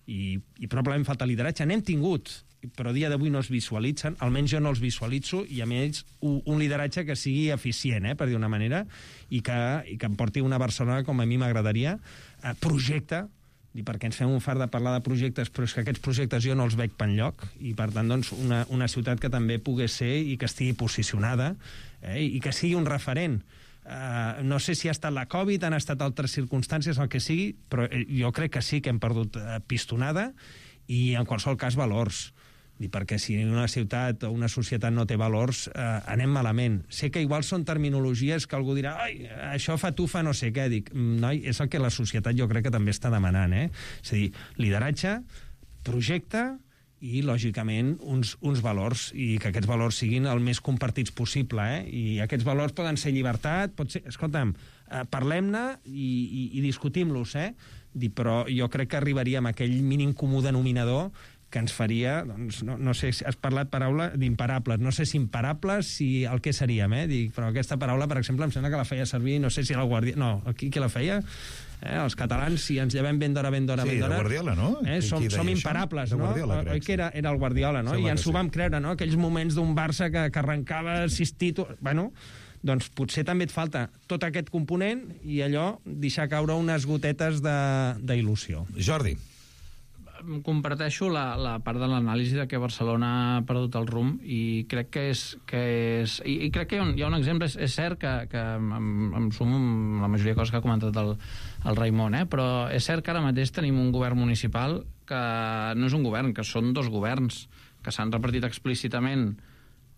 i, i probablement falta lideratge, n'hem tingut, però a dia d'avui no es visualitzen, almenys jo no els visualitzo, i a més un, un lideratge que sigui eficient, eh, per dir una manera, i que, i que em porti una Barcelona com a mi m'agradaria, eh, projecte, i perquè ens fem un fart de parlar de projectes, però és que aquests projectes jo no els veig per enlloc, i per tant doncs, una, una ciutat que també pogués ser i que estigui posicionada, eh, i que sigui un referent. Uh, no sé si ha estat la Covid, han estat altres circumstàncies, el que sigui, però jo crec que sí que hem perdut uh, pistonada i en qualsevol cas valors. I perquè si una ciutat o una societat no té valors, eh, anem malament. Sé que igual són terminologies que algú dirà ai, això fa tufa no sé què. Dic, noi, és el que la societat jo crec que també està demanant, eh? És a dir, lideratge, projecte i, lògicament, uns, uns valors, i que aquests valors siguin el més compartits possible, eh? I aquests valors poden ser llibertat, pot ser... Escolta'm, eh, parlem-ne i, i, i discutim-los, eh? Dic, però jo crec que arribaríem a aquell mínim comú denominador que ens faria, doncs, no, no sé si has parlat paraula d'imparables, no sé si imparables, si el que seríem, eh? Dic, però aquesta paraula, per exemple, em sembla que la feia servir, no sé si era el Guardiola, no, qui, qui la feia? Eh, els catalans, si ens llevem ben d'hora, ben d'hora, sí, ben d'hora... Sí, Guardiola, no? Eh, som, som imparables, això? no? Guardiola, crec, oi que era, era el Guardiola, no? Sembla I ens ho sí. vam creure, no? Aquells moments d'un Barça que, que arrencava sis títols... Bueno, doncs potser també et falta tot aquest component i allò, deixar caure unes gotetes d'il·lusió. Jordi. Comparteixo la, la part de l'anàlisi de que Barcelona ha perdut el rumb i crec que és... Que és i, i crec que hi ha un, hi ha un exemple, és, és cert que, que em, em sumo amb la majoria de coses que ha comentat el, el Raimon, eh? Però és cert que ara mateix tenim un govern municipal que no és un govern, que són dos governs que s'han repartit explícitament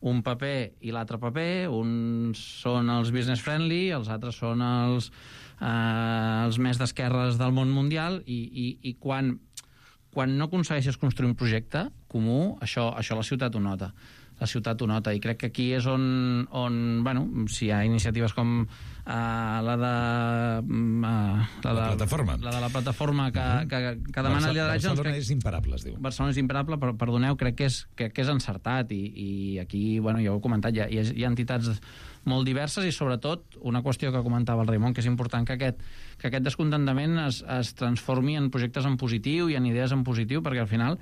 un paper i l'altre paper, uns són els business friendly, els altres són els, eh, els més d'esquerres del món mundial, i, i, i quan... quan no aconsegueixes construir un projecte comú, això, això la ciutat ho nota. La ciutat ho nota, i crec que aquí és on, on bueno, si hi ha iniciatives com uh, la de... Uh, la, la de, plataforma. La de la plataforma que, uh -huh. que, que demana Barcelona, lideratge... Barcelona doncs, és imparable, es diu. Barcelona és imparable, però perdoneu, crec que és, que, que és encertat, i, i aquí, bueno, ja ho he comentat, hi ha, hi ha entitats molt diverses, i sobretot una qüestió que comentava el Raimon, que és important que aquest, que aquest descontentament es, es transformi en projectes en positiu i en idees en positiu, perquè al final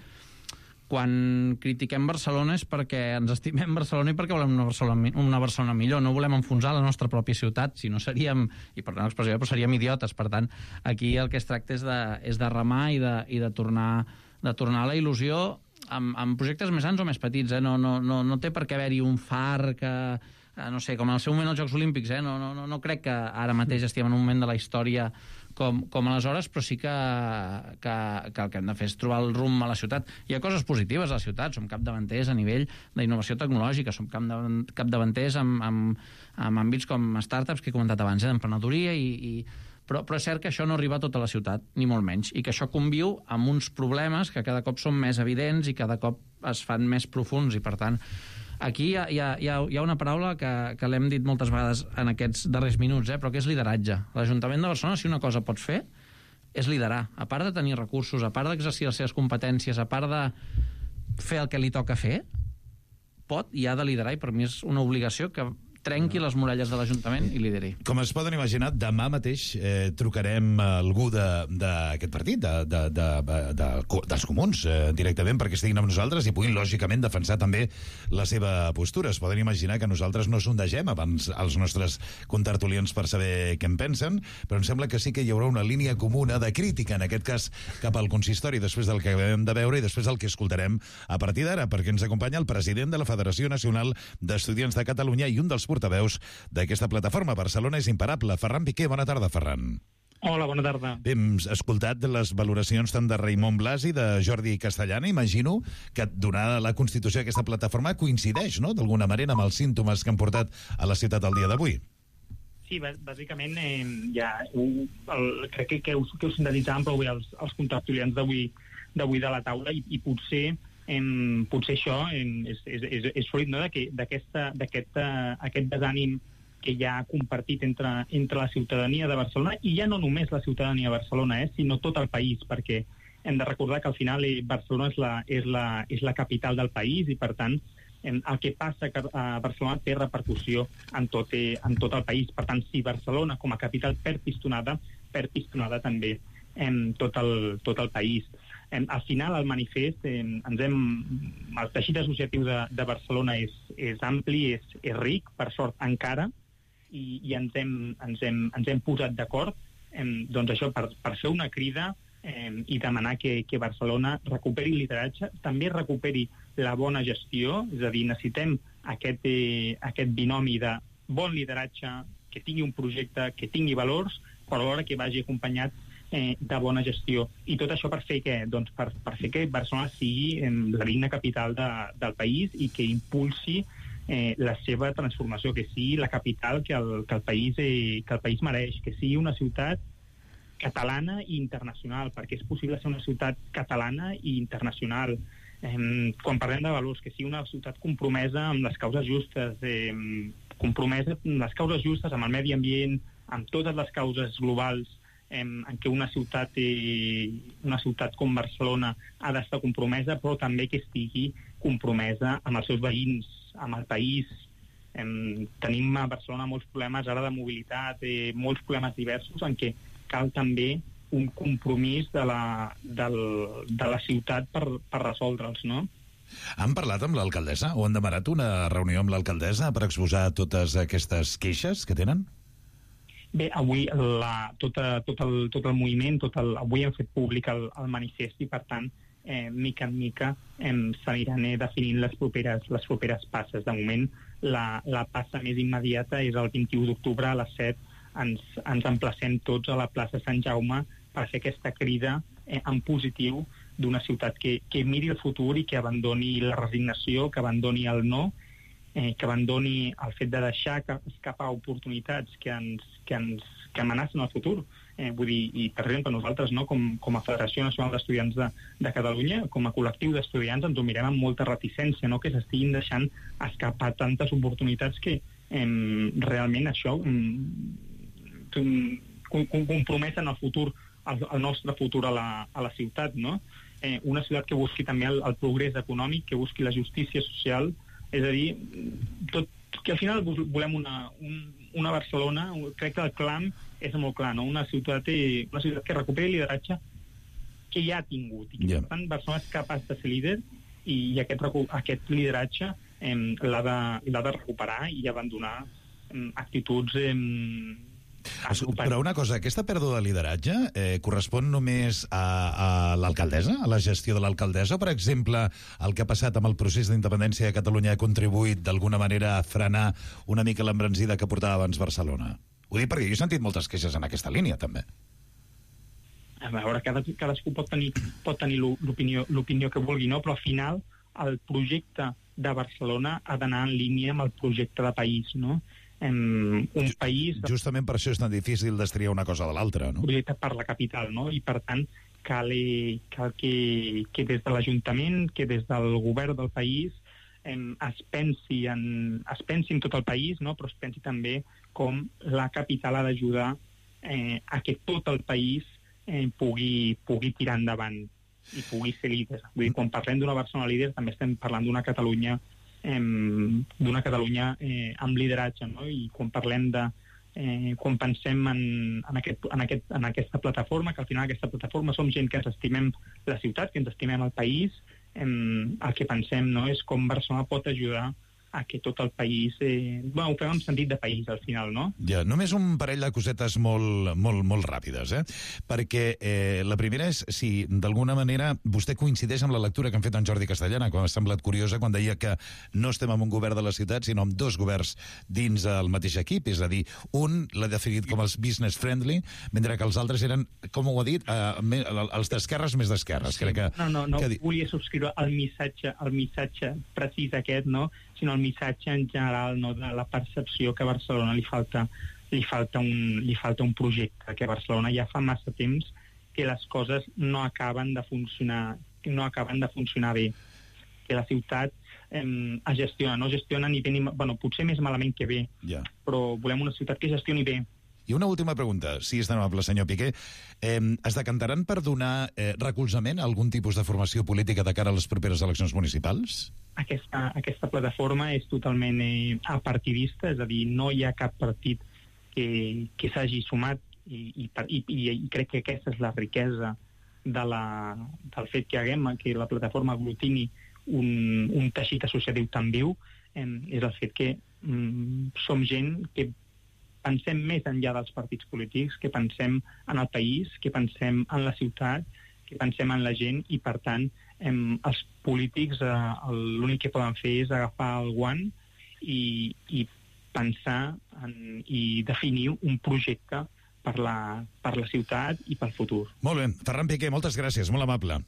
quan critiquem Barcelona és perquè ens estimem Barcelona i perquè volem una Barcelona, una Barcelona millor, no volem enfonsar la nostra pròpia ciutat, si no seríem, i per tant l'expressió, però seríem idiotes. Per tant, aquí el que es tracta és de, és de remar i de, i de tornar, de tornar a la il·lusió amb, amb projectes més grans o més petits, eh? no, no, no, no té per què haver-hi un far que... no sé, com en el seu moment als Jocs Olímpics, eh? no, no, no crec que ara mateix estiguem en un moment de la història com, com aleshores, però sí que, que, que el que hem de fer és trobar el rumb a la ciutat. Hi ha coses positives a la ciutat, som capdavanters a nivell d'innovació tecnològica, som capdavanters amb, amb, amb àmbits com startups, que he comentat abans, eh, d'emprenedoria, i, i, però, però és cert que això no arriba a tota la ciutat, ni molt menys, i que això conviu amb uns problemes que cada cop són més evidents i cada cop es fan més profuns, i per tant aquí hi ha, hi ha, hi ha una paraula que, que l'hem dit moltes vegades en aquests darrers minuts, eh, però que és lideratge. L'Ajuntament de Barcelona, si una cosa pot fer, és liderar. A part de tenir recursos, a part d'exercir les seves competències, a part de fer el que li toca fer, pot i ha de liderar, i per mi és una obligació que trenqui les muralles de l'Ajuntament i lideri. Com es poden imaginar, demà mateix eh, trucarem a algú d'aquest partit, de, de, de, de, de, dels comuns, eh, directament, perquè estiguin amb nosaltres i puguin, lògicament, defensar també la seva postura. Es poden imaginar que nosaltres no sondegem abans els nostres contertulians per saber què en pensen, però em sembla que sí que hi haurà una línia comuna de crítica, en aquest cas, cap al consistori, després del que acabem de veure i després del que escoltarem a partir d'ara, perquè ens acompanya el president de la Federació Nacional d'Estudiants de Catalunya i un dels portaveus d'aquesta plataforma. Barcelona és imparable. Ferran Piqué, bona tarda, Ferran. Hola, bona tarda. Bé, hem escoltat les valoracions tant de Raimon Blas i de Jordi Castellana. Imagino que, donada la constitució d'aquesta plataforma, coincideix, no?, d'alguna manera, amb els símptomes que han portat a la ciutat el dia d'avui. Sí, bàsicament, eh, ja, el, crec que, que, us, que us sintetitzàvem prou bé els, els contertulians d'avui d'avui de la taula, i, i potser Em, potser això em, és, és, és, és fruit, no?, d'aquest uh, aquest desànim que hi ha compartit entre, entre la ciutadania de Barcelona, i ja no només la ciutadania de Barcelona, eh, sinó tot el país, perquè hem de recordar que al final eh, Barcelona és la, és, la, és la capital del país, i per tant em, el que passa a Barcelona té repercussió en tot, eh, en tot el país. Per tant, si Barcelona com a capital perd pistonada, perd pistonada també en tot el, tot el país. Al final, el manifest, eh, ens hem, el teixit associatiu de, de Barcelona és, és ampli, és, és ric, per sort encara, i, i ens, hem, ens, hem, ens hem posat d'acord eh, doncs això, per, per fer una crida eh, i demanar que, que Barcelona recuperi lideratge, també recuperi la bona gestió, és a dir, necessitem aquest, eh, aquest binomi de bon lideratge, que tingui un projecte, que tingui valors, però alhora que vagi acompanyat Eh, de bona gestió. I tot això per fer què? Doncs per, per fer que Barcelona sigui eh, la digna capital de, del país, i que impulsi eh, la seva transformació, que sigui la capital que el, que el, país, eh, que el país mereix, que sigui una ciutat catalana i internacional, perquè és possible ser una ciutat catalana i internacional. Eh, quan parlem de valors, que sigui una ciutat compromesa amb les causes justes, eh, compromesa amb les causes justes, amb el medi ambient, amb totes les causes globals, en què una ciutat, eh, una ciutat com Barcelona ha d'estar compromesa, però també que estigui compromesa amb els seus veïns, amb el país. Eh, tenim a Barcelona molts problemes ara de mobilitat, eh, molts problemes diversos, en què cal també un compromís de la, del, de la ciutat per, per resoldre'ls, no? Han parlat amb l'alcaldessa o han demanat una reunió amb l'alcaldessa per exposar totes aquestes queixes que tenen? Bé, avui la, tot, tot, el, tot el moviment, tot el, avui hem fet públic el, el manifest, i per tant, eh, mica en mica eh, s'aniran eh, definint les properes, les properes passes. De moment, la, la passa més immediata és el vint-i-u d'octubre a les set. Ens, ens emplacem tots a la plaça Sant Jaume per fer aquesta crida eh, en positiu d'una ciutat que, que miri el futur i que abandoni la resignació, que abandoni el no, eh, que abandoni el fet de deixar escapar oportunitats que ens, que ens que amenacen el futur. Eh, vull dir, i per exemple, nosaltres, no, com, com a Federació Nacional d'Estudiants de, de Catalunya, com a col·lectiu d'estudiants, ens ho mirem amb molta reticència, no, que s'estiguin deixant escapar tantes oportunitats que eh, realment això eh, comprometen el futur, el, el nostre futur a la, a la ciutat, no? Eh, una ciutat que busqui també el, el progrés econòmic, que busqui la justícia social, és a dir, tot, que al final volem una, un, una Barcelona, crec que el clam és molt clar, no? Una ciutat, una ciutat que recuperi el lideratge que ja ha tingut, i que yeah. per tant Barcelona és capaç de ser líder, i, i aquest, aquest lideratge eh, l'ha de, l'ha de recuperar i abandonar eh, actituds eh, Però una cosa, aquesta pèrdua de lideratge eh, correspon només a, a l'alcaldessa, a la gestió de l'alcaldessa? Per exemple, el que ha passat amb el procés d'independència de Catalunya ha contribuït d'alguna manera a frenar una mica l'embranzida que portava abans Barcelona? Ho dic perquè jo he sentit moltes queixes en aquesta línia, també. a veure, cada, cadascú pot tenir, pot tenir l'opinió, l'opinió que vulgui, no? Però al final el projecte de Barcelona ha d'anar en línia amb el projecte de país, no? Um, un país... Justament per això és tan difícil destriar una cosa de l'altra, no? Un projecte per la capital, no? I per tant cal, cal que, que des de l'Ajuntament, que des del govern del país um, es, pensi en, es pensi en tot el país, no? Però es pensi també com la capital ha d'ajudar eh, a que tot el país eh, pugui, pugui tirar endavant i pugui ser líder. Vull dir, quan parlem d'una Barcelona líder també estem parlant d'una Catalunya eh, d'una Catalunya eh, amb lideratge, no? I quan parlem de eh, quan pensem en, en, aquest, en, aquest, en aquesta plataforma, que al final aquesta plataforma som gent que ens estimem la ciutat, que ens estimem el país, eh, el que pensem, no? És com Barcelona pot ajudar a que tot el país... Eh, bueno, ho fem en sentit de país, al final, no? Ja, només un parell de cosetes molt, molt, molt ràpides, eh? Perquè eh, la primera és si, d'alguna manera, vostè coincideix amb la lectura que han fet en Jordi Castellana, que m'ha semblat curiosa, quan deia que no estem amb un govern de la ciutat, sinó amb dos governs dins el mateix equip, és a dir, un l'ha definit com els business friendly, mentre que els altres eren, com ho ha dit, eh, els d'esquerres més d'esquerres. Sí. Crec que, no, no, no, que... volia subscriure el missatge, el missatge precís aquest, no?, sinó el missatge en general, no, de la percepció que a Barcelona li falta, li falta, un, li falta un projecte, que a Barcelona ja fa massa temps que les coses no acaben de funcionar, no acaben de funcionar bé, que la ciutat eh, es gestiona, no gestiona ni bé ni... Bueno, potser més malament que bé, ja. Però volem una ciutat que gestioni bé. I una última pregunta, si és tan amable, senyor Piqué. Eh, es decantaran per donar eh, recolzament a algun tipus de formació política de cara a les properes eleccions municipals? Aquesta, aquesta plataforma és totalment eh, apartidista, és a dir, no hi ha cap partit que, que s'hagi sumat i, i, i, i crec que aquesta és la riquesa de la, del fet que haguem, que la plataforma aglutini un, un teixit associatiu tan viu, eh, és el fet que mm, som gent que pensem més enllà dels partits polítics, que pensem en el país, que pensem en la ciutat, que pensem en la gent i, per tant, em, els polítics eh, l'únic que poden fer és agafar el guant i, i pensar en, i definir un projecte per la, per la ciutat i pel futur. Molt bé. Ferran Piqué, moltes gràcies, molt amable.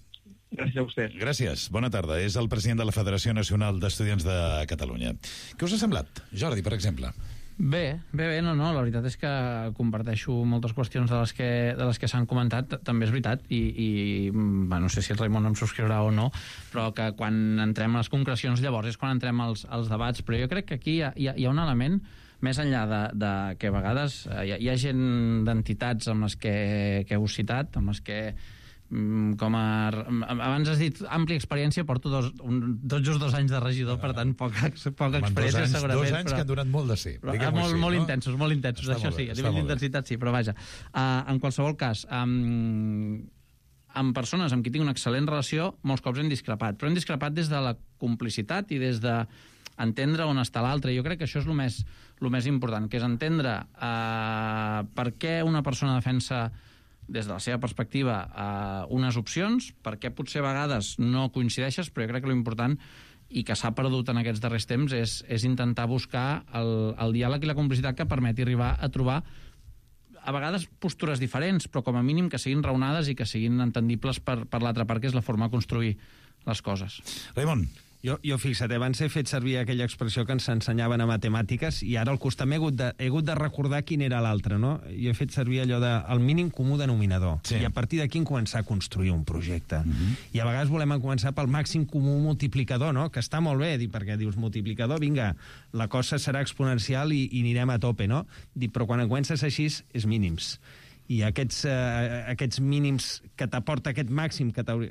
Gràcies a vostè. Gràcies, bona tarda. És el president de la Federació Nacional d'Estudiants de Catalunya. Què us ha semblat, Jordi, per exemple? Bé, bé, bé, no, no, la veritat és que comparteixo moltes qüestions de les que, de les que s'han comentat, també és veritat, i, i bueno, no sé si el Raimon em subscriurà o no, però que quan entrem a les concrecions llavors és quan entrem als, als debats, però jo crec que aquí hi ha, hi ha, hi ha un element més enllà de, de que a vegades hi ha, hi ha gent d'entitats amb les que, que heu citat, amb les que com a... Abans has dit àmplia experiència, porto dos, un, tot just dos anys de regidor, per tant, poca, poca experiència, anys, segurament. Dos anys però, que han donat molt de ser. Però, molt, així, molt no? intensos, molt intensos, està això molt bé, sí, a nivell d'intensitat sí, però vaja. Uh, en qualsevol cas, um, amb persones amb qui tinc una excel·lent relació, molts cops hem discrepat, però hem discrepat des de la complicitat i des de entendre on està l'altre. Jo crec que això és el més, el més important, que és entendre uh, per què una persona defensa des de la seva perspectiva eh, unes opcions, perquè potser a vegades no coincideixes, però jo crec que l'important i que s'ha perdut en aquests darrers temps és, és intentar buscar el, el diàleg i la complicitat que permeti arribar a trobar a vegades postures diferents, però com a mínim que siguin raonades i que siguin entendibles per, per l'altra part, que és la forma de construir les coses. Raimon. Jo, jo fixa't, abans he fet servir aquella expressió que ens ensenyaven a matemàtiques i ara al costat m'he hagut, de, he hagut de recordar quin era l'altre, no? Jo he fet servir allò de el mínim comú denominador. Sí. I a partir d'aquí començar a construir un projecte. Uh-huh. I a vegades volem començar pel màxim comú multiplicador, no? Que està molt bé, perquè dius multiplicador, vinga, la cosa serà exponencial i, i anirem a tope, no? Dic, però quan comences així és mínims. I aquests, eh, aquests mínims que t'aporta aquest màxim que t'hauria...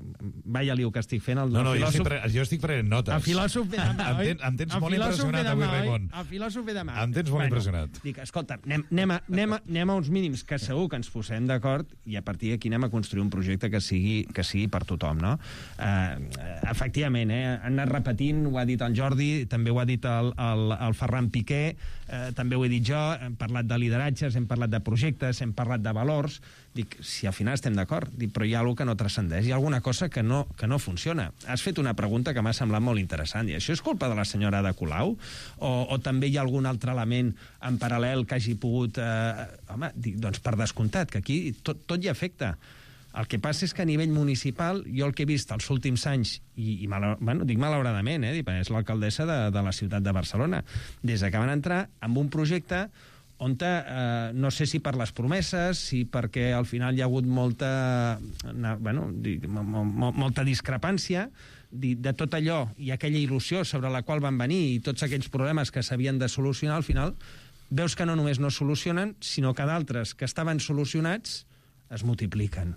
Vaya liu que estic fent. El, no, no, el filòsof... jo, estic pre... jo estic prenent notes. El filòsof ve demà, oi? Em, ten, em tens molt impressionat avui, Raimon. El filòsof ve demà. Em tens molt bueno, impressionat. Dic, escolta, anem, anem, a, anem, a, anem a uns mínims que segur que ens posem d'acord i a partir d'aquí anem a construir un projecte que sigui, que sigui per tothom, no? Uh, efectivament, eh, han anat repetint, ho ha dit el Jordi, també ho ha dit el, el, el Ferran Piqué, uh, també ho he dit jo, hem parlat de lideratges, hem parlat de projectes, hem parlat de valors. Dic, si al final estem d'acord, dic, però hi ha alguna que no transcendeix, hi ha alguna cosa que no, que no funciona. Has fet una pregunta que m'ha semblat molt interessant, i això és culpa de la senyora Ada Colau? O, o també hi ha algun altre element en paral·lel que hagi pogut... Eh, home, dic, doncs per descomptat, que aquí tot, tot hi afecta. El que passa és que a nivell municipal, jo el que he vist els últims anys, i, i mal, bueno, dic malauradament, eh, és l'alcaldessa de, de la ciutat de Barcelona, des que van entrar amb un projecte on, eh, no sé si per les promeses, si perquè al final hi ha hagut molta, bueno, dic, molta discrepància de, de tot allò i aquella il·lusió sobre la qual van venir i tots aquells problemes que s'havien de solucionar, al final veus que no només no es solucionen, sinó que d'altres que estaven solucionats es multipliquen.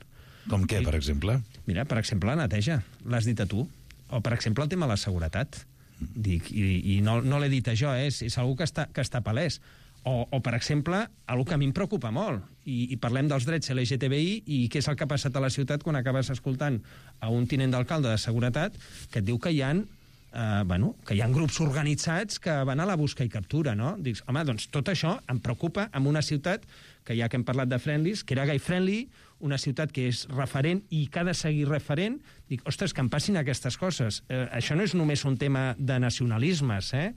Com què, per exemple? Mira, per exemple, la neteja, l'has dit a tu. O, per exemple, el tema de la seguretat. Dic, i, i no, no l'he dit a jo, eh? és, és algú que està, que està palès. O, o, per exemple, algo que a mi em preocupa molt, i, i parlem dels drets L G T B I, i què és el que ha passat a la ciutat quan acabes escoltant a un tinent d'alcalde de seguretat que et diu que hi ha, eh, bueno, que hi ha grups organitzats que van a la busca i captura, no? Dics, home, doncs tot això em preocupa en una ciutat que ja que hem parlat de friendlies, que era gay friendly, una ciutat que és referent i que ha de seguir referent, dic, ostres, que em passin aquestes coses. Eh, això no és només un tema de nacionalismes, eh?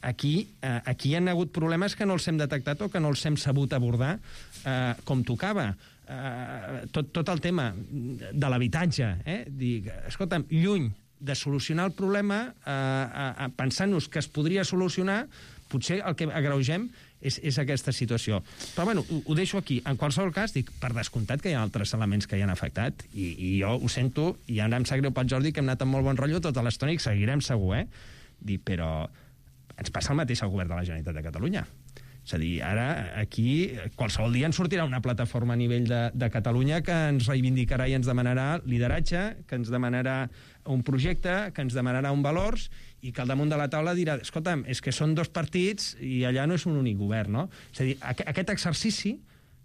Aquí, eh, aquí hi ha hagut problemes que no els hem detectat o que no els hem sabut abordar eh, com tocava. Eh, tot, tot el tema de l'habitatge, eh? Dic, escolta'm, lluny de solucionar el problema, eh, eh, pensant-nos que es podria solucionar, potser el que agreugem és, és aquesta situació. Però, bueno, ho, ho deixo aquí. En qualsevol cas, dic, per descomptat que hi ha altres elements que hi han afectat, i, i jo ho sento, i ara em sap greu pel Jordi, que hem anat amb molt bon rotllo tota l'estona i seguirem segur, eh? Dic, però ens passa el mateix al govern de la Generalitat de Catalunya. És a dir, ara, aquí, qualsevol dia ens sortirà una plataforma a nivell de, de Catalunya que ens reivindicarà i ens demanarà lideratge, que ens demanarà un projecte, que ens demanarà un valors, i que al damunt de la taula dirà, escolta'm, és que són dos partits i allà no és un únic govern, no? És a dir, aquest exercici,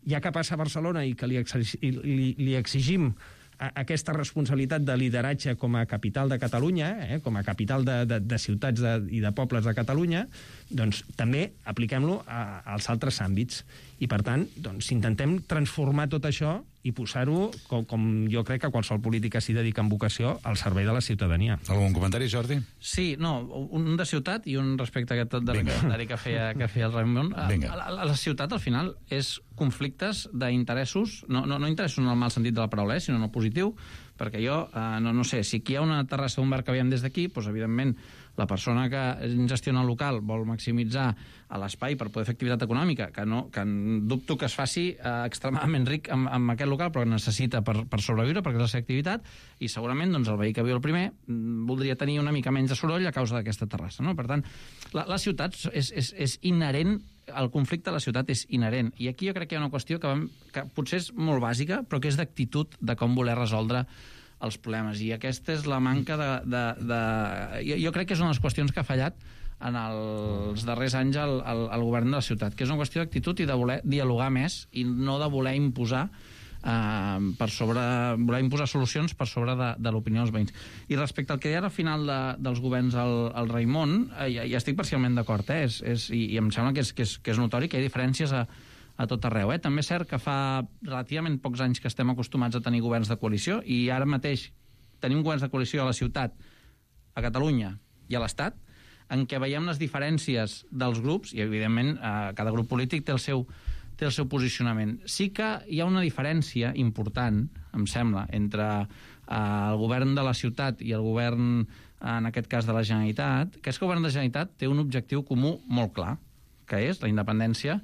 ja que passa a Barcelona i que li, li, li exigim aquesta responsabilitat de lideratge com a capital de Catalunya, eh, com a capital de, de, de ciutats de, i de pobles de Catalunya, doncs també apliquem-lo als altres àmbits. I, per tant, doncs, intentem transformar tot això i posar-ho, com, com jo crec que qualsevol política s'hi dedica amb vocació, al servei de la ciutadania. Algun comentari, Jordi? Sí, no, un de ciutat i un respecte a aquest de comentari que feia, que feia el Raimon. A, a, a la ciutat, al final, és conflictes d'interessos, no, no, no interessos en el mal sentit de la paraula, eh, sinó en el positiu, perquè jo, eh, no, no sé, si aquí hi ha una terrassa d'un bar que veiem des d'aquí, doncs, evidentment, la persona que gestiona el local vol maximitzar l'espai per poder fer activitat econòmica, que, no, que dubto que es faci eh, extremadament ric amb, amb aquest local, però que necessita per, per sobreviure, perquè és la seva activitat, i segurament doncs, el veí que viu el primer voldria tenir una mica menys de soroll a causa d'aquesta terrassa. No? Per tant, la, la ciutat és, és, és inherent, el conflicte a la ciutat és inherent. I aquí jo crec que hi ha una qüestió que, vam, que potser és molt bàsica, però que és d'actitud de com voler resoldre els problemes. I aquesta és la manca de... de, de... Jo, jo crec que és una de les qüestions que ha fallat en els darrers anys al, al, al govern de la ciutat, que és una qüestió d'actitud i de voler dialogar més i no de voler imposar eh, per sobre, voler imposar solucions per sobre de, de l'opinió dels veïns. I respecte al que deia al final de, dels governs al, al Raimon, eh, ja, ja estic parcialment d'acord, eh? és, és, i, i em sembla que és, que, és, que és notori que hi ha diferències a a tot arreu. Eh? També és cert que fa relativament pocs anys que estem acostumats a tenir governs de coalició i ara mateix tenim governs de coalició a la ciutat, a Catalunya i a l'Estat, en què veiem les diferències dels grups i, evidentment, eh, cada grup polític té el seu, té el seu posicionament. Sí que hi ha una diferència important, em sembla, entre eh, el govern de la ciutat i el govern, en aquest cas, de la Generalitat, que és que el govern de la Generalitat té un objectiu comú molt clar, que és la independència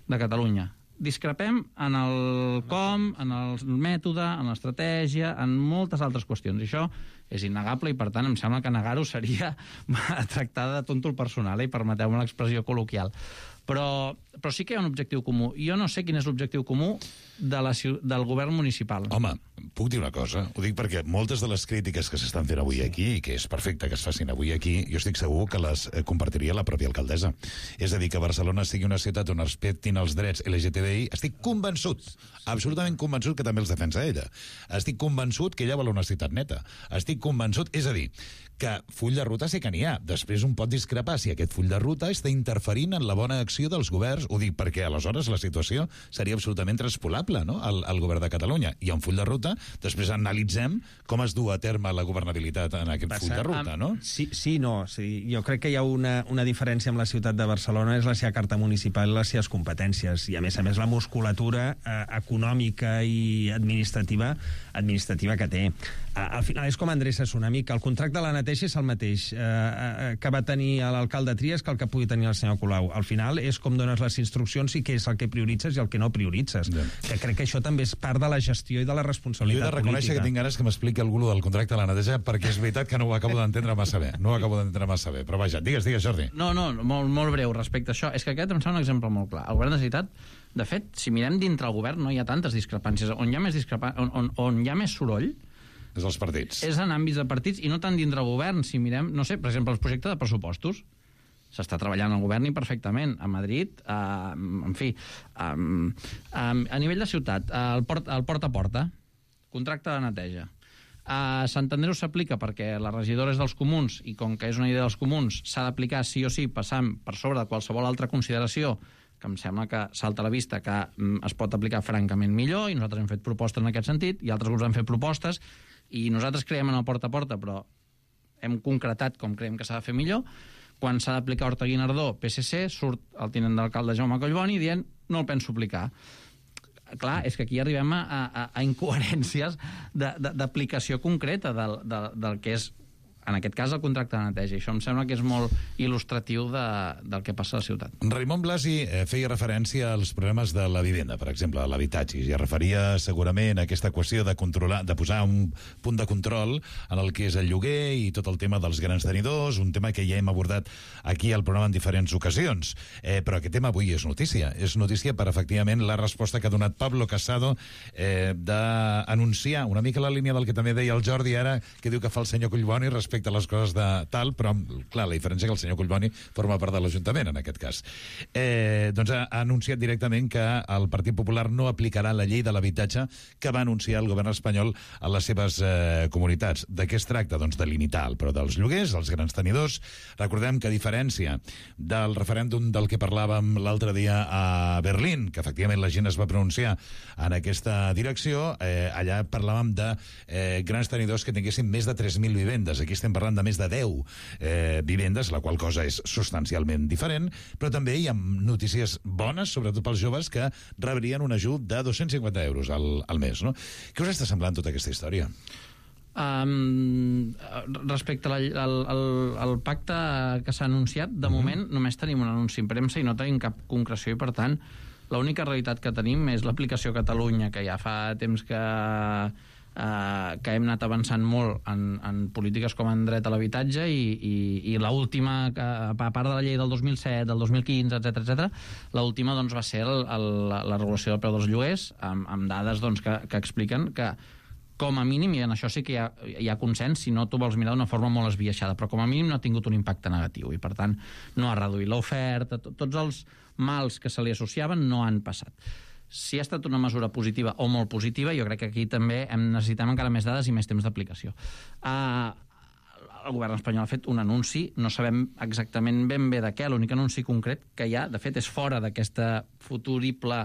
de Catalunya. Discrepem en el com, en el mètode, en l'estratègia, en moltes altres qüestions. I això és innegable i, per tant, em sembla que negar-ho seria tractar de tonto el personal, eh? I permeteu-me l'expressió col·loquial. Però, però sí que hi ha un objectiu comú. Jo no sé quin és l'objectiu comú de la, del govern municipal. Home, puc dir una cosa? Ho dic perquè moltes de les crítiques que s'estan fent avui aquí, i que és perfecte que es facin avui aquí, jo estic segur que les compartiria la pròpia alcaldessa. És a dir, que Barcelona sigui una ciutat on respectin els drets L G T B I, estic convençut, absolutament convençut que també els defensa ella. Estic convençut que ella vol una ciutat neta. Estic convençut, és a dir, que full de ruta sí que n'hi ha. Després un pot discrepar si aquest full de ruta està interferint en la bona acció dels governs. Ho dic perquè aleshores la situació seria absolutament transpolable, no?, al, al govern de Catalunya. Hi ha un full de ruta després analitzem com es du a terme la governabilitat en aquest full de ruta, no? Sí, sí, no. Sí. Jo crec que hi ha una, una diferència amb la ciutat de Barcelona, és la seva carta municipal i les seves competències, i a més a més la musculatura eh, econòmica i administrativa administrativa que té. Eh, al final és com endreça Tsunami, que el contracte de la neteja és el mateix eh, eh, que va tenir l'alcalde Trias que el que pugui tenir el senyor Colau. Al final és com dones les instruccions i què és el que prioritzes i el que no prioritzes. Yeah. Que crec que això també és part de la gestió i de la responsabilitat política. Jo he de reconèixer política. Que tinc ganes que m'expliqui algú del contracte de la neteja, perquè és veritat que no ho acabo d'entendre massa bé. No ho acabo d'entendre massa bé. Però vaja, digues, digues, Jordi. No, no, molt, molt breu respecte a això. És que aquest em sembla un exemple molt clar. El govern de la Generalitat, de fet, si mirem dintre el govern, no hi ha tantes discrepàncies. On hi ha més, discrepa... on, on, on hi ha més soroll és els partits. És en àmbits de partits i no tant dintre el govern. Si mirem, no sé, per exemple, els projectes de pressupostos. S'està treballant al govern i perfectament. A Madrid, eh, en fi, eh, a nivell de ciutat, el port, el porta a porta, contracte de neteja. A Sant Andreu s'aplica perquè la regidora és dels comuns i com que és una idea dels comuns s'ha d'aplicar sí o sí passant per sobre de qualsevol altra consideració que em sembla que salta a la vista que mm, es pot aplicar francament millor, i nosaltres hem fet propostes en aquest sentit i altres grups han fet propostes i nosaltres creiem en el porta a porta, però hem concretat com creiem que s'ha de fer millor. Quan s'ha d'aplicar Horta Guinardó, P S C, surt el tinent d'alcalde Jaume Collboni dient no el penso aplicar. Clar, és que aquí arribem a, a, a incoherències d'aplicació concreta del, del, del que és, en aquest cas, el contracte de neteja. I això em sembla que és molt il·lustratiu de, del que passa a la ciutat. Raimon Blasi eh, feia referència als problemes de la vivenda, per exemple, a l'habitatge, i es referia segurament a aquesta qüestió de controlar, de posar un punt de control en el que és el lloguer i tot el tema dels grans tenidors, un tema que ja hem abordat aquí al programa en diferents ocasions. Eh, però aquest tema avui és notícia. És notícia per, efectivament, la resposta que ha donat Pablo Casado eh, d'anunciar, una mica la línia del que també deia el Jordi ara, que diu que fa el senyor Collboni respecte a les coses de tal, però, clar, la diferència que el senyor Collboni forma part de l'Ajuntament, en aquest cas. Eh, doncs ha, ha anunciat directament que el Partit Popular no aplicarà la llei de l'habitatge que va anunciar el govern espanyol a les seves eh, comunitats. De què es tracta? Doncs de limitar el preu dels lloguers, els grans tenidors. Recordem que, a diferència del referèndum del que parlàvem l'altre dia a Berlín, que efectivament la gent es va pronunciar en aquesta direcció, eh, allà parlàvem de eh, grans tenidors que tinguessin més de tres mil vivendes. Aquí estem parlant de més de deu eh, vivendes, la qual cosa és substancialment diferent, però també hi ha notícies bones, sobretot pels joves, que rebrien un ajut de dos-cents cinquanta euros al, al mes, no? Què us està semblant tota aquesta història? Um, respecte al, al, al, al pacte que s'ha anunciat, de uh-huh. moment només tenim un anunci en premsa i no tenim cap concreció, i per tant l'única realitat que tenim és l'aplicació a Catalunya, que ja fa temps que Uh, que hem anat avançant molt en, en polítiques com en dret a l'habitatge, i, i, i l'última, a part de la llei del dos mil set, del dos mil quinze, etcètera, etcètera, l'última doncs, va ser el, el, la regulació del preu dels lloguers, amb, amb dades doncs, que, que expliquen que com a mínim, i en això sí que hi ha, hi ha consens, si no tu vols mirar d'una forma molt esbiaixada, però com a mínim no ha tingut un impacte negatiu, i per tant no ha reduït l'oferta, to, tots els mals que se li associaven no han passat. Si ha estat una mesura positiva o molt positiva, jo crec que aquí també hem necessitem encara més dades i més temps d'aplicació. Uh, el govern espanyol ha fet un anunci, no sabem exactament ben bé de què, l'únic anunci concret que hi ha, de fet, és fora d'aquesta futurible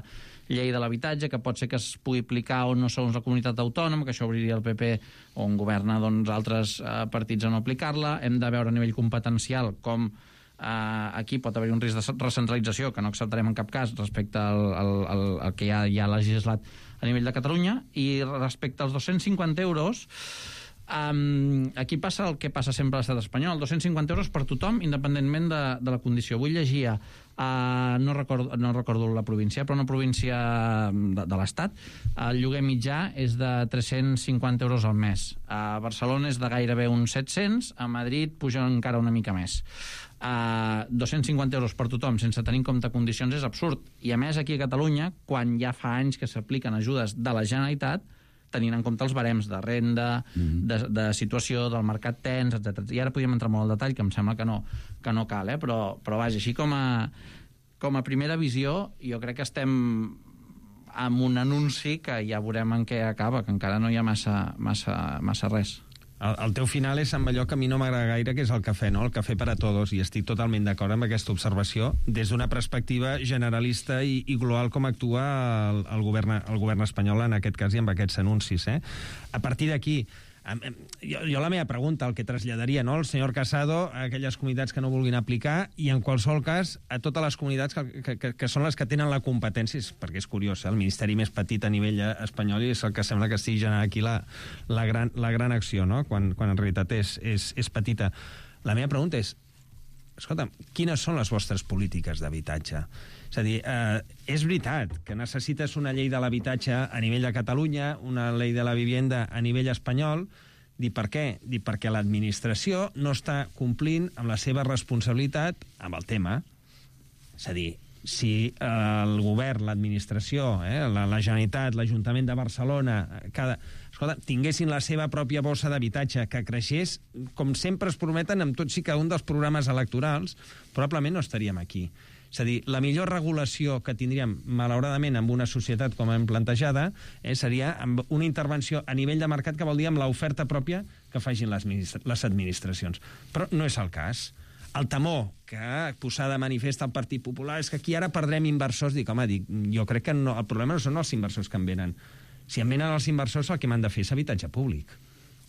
llei de l'habitatge, que pot ser que es pugui aplicar o no segons la comunitat autònoma, que això obriria el P P, on governa doncs, altres uh, partits a no aplicar-la. Hem de veure a nivell competencial com Uh, aquí pot haver un risc de recentralització que no acceptarem en cap cas respecte al, al, al, al que ja hi ha legislat a nivell de Catalunya. I respecte als dos-cents cinquanta euros, um, aquí passa el que passa sempre a l'estat espanyol, dos-cents cinquanta euros per tothom, independentment de, de la condició. Avui llegia, uh, no, recordo, no recordo la província, però una província de, de l'estat, el lloguer mitjà és de tres-cents cinquanta euros al mes. A Barcelona és de gairebé uns set-cents, a Madrid puja encara una mica més. Uh, dos-cents cinquanta euros per tothom sense tenir en compte condicions és absurd, i a més aquí a Catalunya, quan ja fa anys que s'apliquen ajudes de la Generalitat, tenint en compte els barems de renda, mm-hmm. de, de situació del mercat tens, etcètera. I ara podríem entrar molt al detall, que em sembla que no, que no cal, eh? però, però vaja, així com a, com a primera visió, jo crec que estem amb un anunci que ja veurem en què acaba, que encara no hi ha massa, massa, massa res. El, el teu final és amb allò que a mi no m'agrada gaire, que és el cafè, no? El cafè per a tots, i estic totalment d'acord amb aquesta observació, des d'una perspectiva generalista i, i global com actua el, el, govern, el govern espanyol en aquest cas i amb aquests anuncis. Eh? A partir d'aquí, jo, jo la meva pregunta, el que traslladaria, no, el senyor Casado a aquelles comunitats que no vulguin aplicar i en qualsevol cas a totes les comunitats que, que, que són les que tenen la competència, perquè és curiós, eh? El ministeri més petit a nivell espanyol i és el que sembla que estigui generant aquí la, la, gran, la gran acció, no? quan, quan en realitat és, és, és petita. La meva pregunta és, escolta'm, quines són les vostres polítiques d'habitatge? És a dir, eh, és veritat que necessites una llei de l'habitatge a nivell de Catalunya, una llei de la vivienda a nivell espanyol. Dir per què? Dir perquè l'administració no està complint amb la seva responsabilitat amb el tema. És a dir, si eh, el govern, l'administració, eh, la, la Generalitat, l'Ajuntament de Barcelona, cada, escolta, tinguessin la seva pròpia bossa d'habitatge que creixés, com sempre es prometen amb tots i cada un dels programes electorals, probablement no estaríem aquí. És a dir, la millor regulació que tindríem, malauradament, amb una societat com hem plantejada, eh, seria amb una intervenció a nivell de mercat que vol dir amb l'oferta pròpia que facin les, les administracions. Però no és el cas. El temor que posar de manifest al Partit Popular és que aquí ara perdrem inversors. Dic, home, dic, jo crec que no, el problema no són els inversors que en venen. Si en venen els inversors, el que m'han de fer és habitatge públic.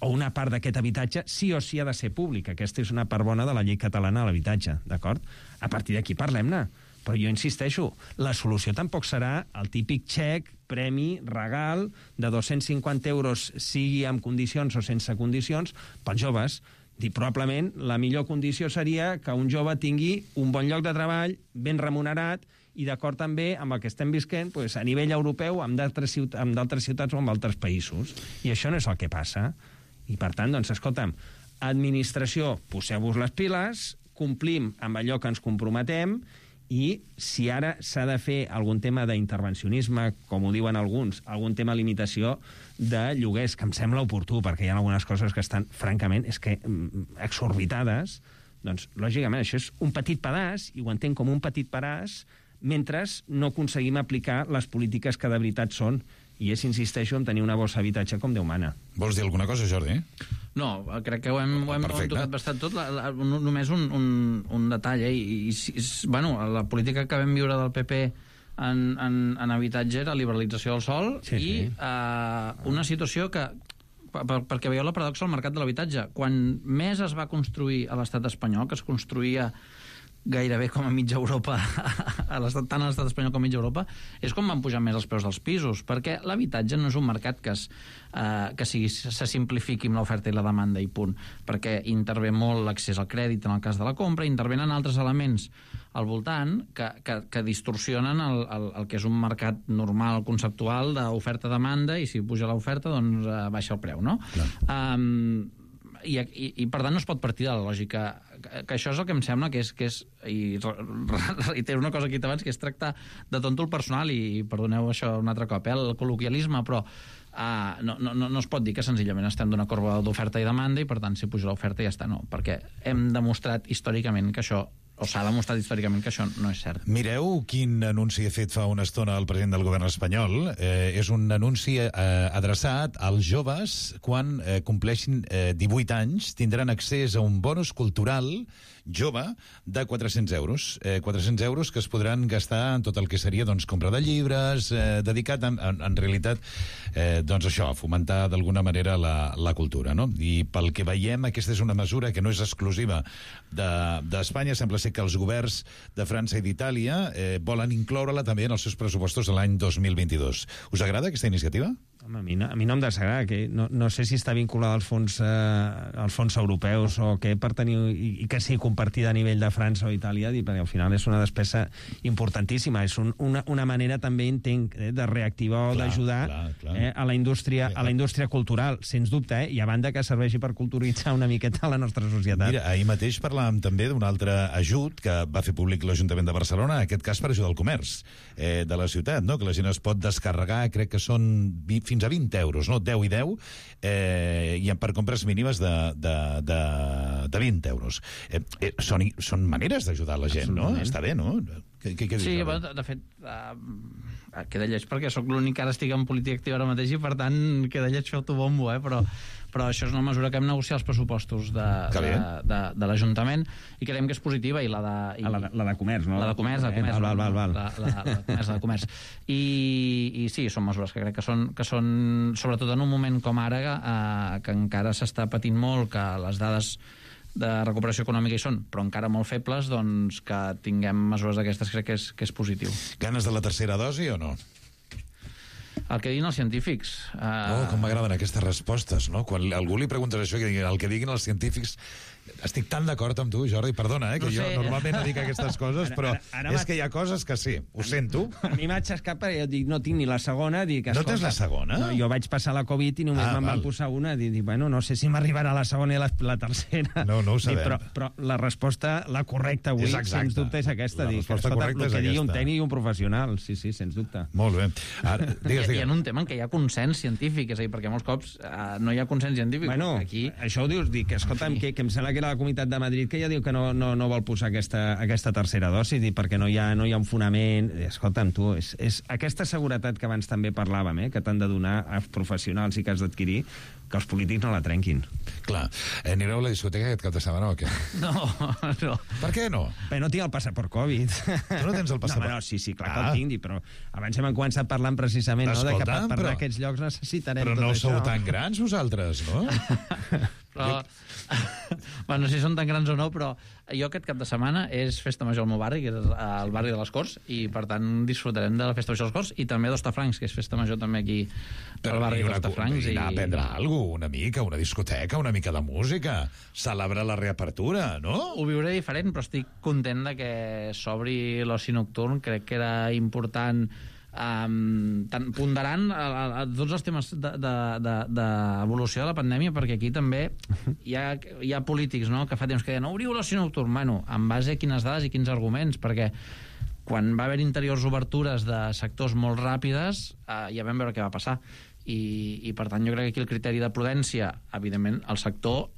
O una part d'aquest habitatge sí o sí ha de ser públic. Aquesta és una part bona de la llei catalana de l'habitatge, d'acord? A partir d'aquí parlem-ne. Però jo insisteixo, la solució tampoc serà el típic xec, premi, regal, de dos-cents cinquanta euros, sigui amb condicions o sense condicions, pels joves. Dir, probablement la millor condició seria que un jove tingui un bon lloc de treball, ben remunerat, i d'acord també amb el que estem visquent pues, a nivell europeu, amb d'altres ciutat, amb d'altres ciutats o amb altres països. I això no és el que passa. I per tant, doncs, escolta'm, administració, poseu-vos les piles, complim amb allò que ens comprometem, i si ara s'ha de fer algun tema d'intervencionisme, com ho diuen alguns, algun tema de limitació de lloguers, que em sembla oportú, perquè hi ha algunes coses que estan, francament, és que exorbitades, doncs, lògicament, això és un petit pedaç, i ho entenc com un petit pedaç, mentre no aconseguim aplicar les polítiques que de veritat són, i és, insisteixo, en tenir una bossa d'habitatge com Déu mana. Vols dir alguna cosa, Jordi? No, crec que ho hem, ho hem, ho hem tocat bastant tot. La, la, només un, un, un detall, eh? I, i, bueno, la política que vam viure del P P en, en, en habitatge era liberalització del sòl sí, i sí. Uh, una situació que, per, perquè veieu la paradoxa al mercat de l'habitatge, quan més es va construir a l'estat espanyol, que es construïa gairebé com a mitja Europa, a l'estat, tant a l'estat espanyol com a mitja Europa, és com van pujar més els preus dels pisos, perquè l'habitatge no és un mercat que, es, eh, que sigui, se simplifiqui amb l'oferta i la demanda i punt, perquè intervé molt l'accés al crèdit en el cas de la compra, intervenen altres elements al voltant que, que, que distorsionen el, el, el que és un mercat normal, conceptual, d'oferta-demanda, i si puja l'oferta, doncs eh, baixa el preu, no? Um, I, i, i per tant no es pot partir de la lògica que, que això és el que em sembla que és, que és i reitero una cosa que he dit abans, que és tractar de tonto el personal i, i perdoneu això un altre cop, eh, el col·loquialisme, però uh, no, no, no es pot dir que senzillament estem d'una corba d'oferta i demanda i per tant si puja l'oferta ja està, no, perquè hem demostrat històricament que això, o s'ha demostrat històricament que això no és cert. Mireu quin anunci ha fet fa una estona el president del govern espanyol. Eh, és un anunci eh, adreçat als joves quan eh, compleixin eh, divuit anys, tindran accés a un bonus cultural jove de quatre-cents euros. Eh, quatre-cents euros que es podran gastar en tot el que seria doncs, compra de llibres, eh, dedicat en, en, en realitat eh, doncs això, a fomentar d'alguna manera la, la cultura. No? I pel que veiem, aquesta és una mesura que no és exclusiva d'Espanya, de, sembla ser que els governs de França i d'Itàlia eh, volen incloure-la també en els seus pressupostos de l'any dos mil vint-i-dos. Us agrada aquesta iniciativa? Home, a mi no, a mi no em desagrada, que no, no sé si està vinculada als fons, eh, als fons europeus o què per tenir, i, i que sigui compartida a nivell de França o Itàlia, perquè al final és una despesa importantíssima, és un, una, una manera també, entenc, eh, de reactivar o d'ajudar eh, a la indústria a la indústria cultural, sens dubte, eh, i a banda que serveixi per culturitzar una miqueta la nostra societat. Mira, ahir mateix parlàvem també d'un altre ajut que va fer públic l'Ajuntament de Barcelona, en aquest cas per ajudar el comerç eh, de la ciutat, no? Que la gent es pot descarregar, crec que són fins a vint euros, no? deu i deu, eh, i per compres mínimes de, de, de, de vint euros. Eh, eh, són, són maneres d'ajudar la gent, no? Està bé, no? Què, què, què sí, dius, bueno, de fet, uh, queda lleig perquè sóc l'únic que ara estic en política activa ara mateix i, per tant, queda lleig fer-t'ho bombo, eh? però, però això és una mesura que hem negociat els pressupostos de, de, de, de l'Ajuntament i creiem que és positiva. I la de, i... Ah, la, de, la de comerç, no? La de comerç, la de comerç. Val, val, val. La, la, la, de comerç, la de comerç. I, I sí, són mesures que crec que són, que són sobretot en un moment com ara, eh, que encara s'està patint molt, que les dades de recuperació econòmica hi són, però encara molt febles, doncs que tinguem mesures d'aquestes crec que és, que és positiu. Ganes de la tercera dosi o no? El que diguin els científics. Uh... Oh, com m'agraden aquestes respostes, no? Quan algú li preguntes això, que diguin, el que diguin els científics... Estic tan d'acord amb tu, Jordi, perdona, eh, que no sé. Jo normalment no dic aquestes coses, però ara, ara és que hi ha coses que sí, ho sento. A mi m'ha xascat perquè jo dic, no tinc ni la segona. Dic, no tens la segona? No, jo vaig passar la Covid i només ah, me'n van posar una. Dic, bueno, no sé si m'arribarà la segona i la, la tercera. No, no ho sabem. Dic, però, però la resposta, la correcta avui, sens dubte, és aquesta. La dic, resposta escolta, correcta el que és digui un aquesta. tècnic i un professional. Sí, sí, sens dubte. Molt bé. Ara, digues, digues. I en un tema en què hi ha consens científic, és a dir, perquè molts cops uh, no hi ha consens científic. Bueno, aquí... això ho dius, dic, escolta'm, que, que em sembla que era la Comunitat de Madrid que ja diu que no, no, no vol posar aquesta, aquesta tercera dosi, perquè no hi ha, no hi ha un fonament. Escolta'm, tu, és, és aquesta seguretat que abans també parlàvem, eh, que t'han de donar als professionals i que has d'adquirir, que els polítics no la trenquin. Clar. Eh, anireu a la discoteca aquest cap de setmana o què? No, no. Per què no? Bé, no tinc el passaport Covid. Tu no tens el passaport? No, no, sí, sí, clar ah. que el tinc, però abans hem començat parlant precisament no, de que per, per però... aquests llocs necessitarem però tot no això. Però no sou tan grans vosaltres, no? Però, bueno, no sé si són tan grans o no, però jo aquest cap de setmana és festa major al meu barri, que és al barri de les Corts, i per tant disfrutarem de la festa major de les Corts, i també d'Hostafrancs, que és festa major també aquí al barri d'Hostafrancs. I anar a prendre alguna cosa, una mica, una discoteca, una mica de música, celebrar la reapertura, no? Ho viuré diferent, però estic content de que s'obri l'oci nocturn. Crec que era important Um, tant, ponderant a, a, a tots els temes d'evolució de, de, de, de la pandèmia, perquè aquí també hi ha, hi ha polítics, no?, que fa temps que deien obriu l'oci nocturn. Bueno, en base a quines dades i quins arguments, perquè quan va haver interiors obertures de sectors molt ràpides, eh, ja vam veure què va passar, i, i per tant jo crec que aquí el criteri de prudència, evidentment el sector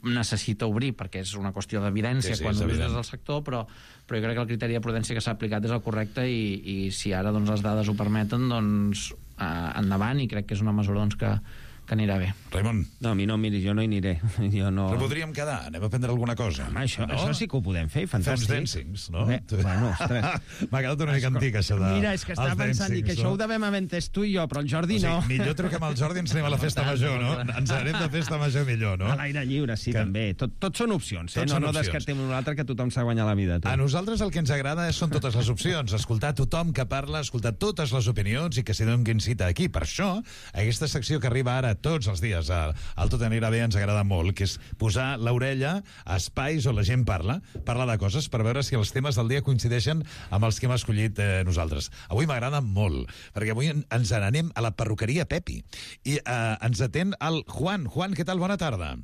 necessita obrir, perquè és una qüestió d'evidència sí, sí, quan obres del sector, però, però jo crec que el criteri de prudència que s'ha aplicat és el correcte, i, i si ara doncs, les dades ho permeten, doncs eh, endavant, i crec que és una mesura doncs, que, que anirà bé. Raimon. No, a mi no, miri, jo no hi aniré. Jo no... Però podríem quedar, anem a prendre alguna cosa. Home, això, no? això sí que ho podem fer, fantàstic. Fem uns dancings, no? Bé, bueno, ostres. M'ha quedat una mica antic, això de... Mira, és que estava pensant dancings, que això no? ho devem haver entès tu i jo, però el Jordi o sigui, no. Millor truquem al Jordi i ens anem a la festa major, no? Ens anem de festa major millor, no? A l'aire lliure, sí, que... també. Tot, tot són opcions, eh? Tot no, no opcions. descartem un altre, que tothom s'ha guanyat la vida. Tu. A nosaltres el que ens agrada són totes les opcions, escoltar tothom que parla, escoltar totes les opinions i que s'hi donin cita aquí. Per això, aquesta secció que arriba ara tots els dies al, al Tot anirà bé ens agrada molt, que és posar l'orella a espais on la gent parla, parla de coses per veure si els temes del dia coincideixen amb els que hem escollit eh, nosaltres. Avui m'agrada molt, perquè avui ens n'anem a la perruqueria Pepi i eh, ens atén el Juan. Juan, què tal? Bona tarda.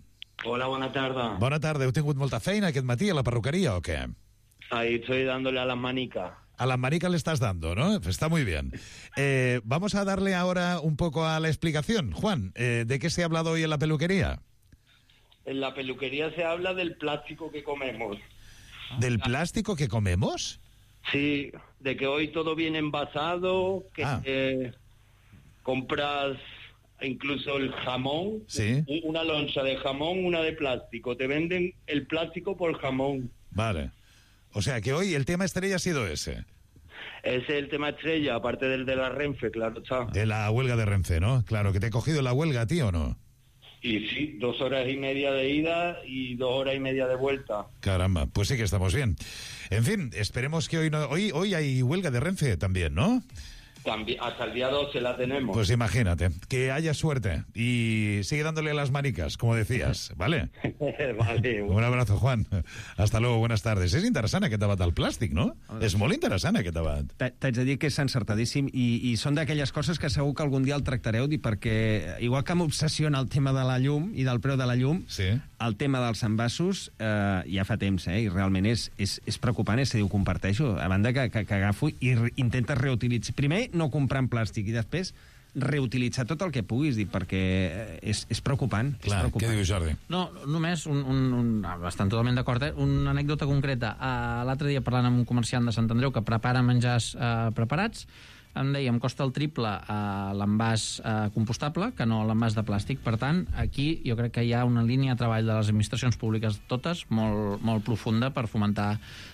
Hola, bona tarda. Bona tarda. Heu tingut molta feina aquest matí a la perruqueria o què? Ahí estoy dándole a las manicas. A la manica le estás dando, ¿no? Está muy bien. Eh, vamos a darle ahora un poco a la explicación. Juan, eh, ¿de qué se ha hablado hoy en la peluquería? En la peluquería se habla del plástico que comemos. ¿Del plástico que comemos? Sí, de que hoy todo viene envasado, que ah. eh, compras incluso el jamón, sí. Una loncha de jamón, una de plástico. Te venden el plástico por jamón. Vale. O sea, que hoy el tema estrella ha sido ese. Ese es el tema estrella, aparte del de la Renfe, claro está. De la huelga de Renfe, ¿no? Claro, que te he cogido la huelga a ti, ¿o no? Y sí, dos horas y media de ida y dos horas y media de vuelta. Caramba, pues sí que estamos bien. En fin, esperemos que hoy no... Hoy, hoy hay huelga de Renfe también, ¿no? También, hasta el día doce la tenemos. Pues imagínate, que haya suerte y sigue dándole a las manicas, como decías, ¿vale? Vale. Un abrazo, Juan. Hasta luego, buenas tardes. És interessant aquest debat del plàstic, no? És molt interessant aquest debat. T'haig de dir que és encertadíssim i, i són d'aquelles coses que segur que algun dia el tractareu, perquè igual que m'obsessiona el tema de la llum i del preu de la llum, sí. El tema dels envasos eh, ja fa temps, eh, i realment és, és, és preocupant, és a dir, ho comparteixo, a banda que, que, que agafo i re, intentes reutilitzar. Primer, no comprar en plàstic, i després reutilitzar tot el que puguis, dir, perquè és, és preocupant. Clar, és preocupant. què diu Jordi? No, només un, un, un estan totalment d'acord, eh? Una anècdota concreta. Uh, L'altre dia parlant amb un comerciant de Sant Andreu que prepara menjars uh, preparats, em deia, em costa el triple uh, l'envàs uh, compostable que no l'envàs de plàstic. Per tant, aquí jo crec que hi ha una línia de treball de les administracions públiques totes molt, molt profunda per fomentar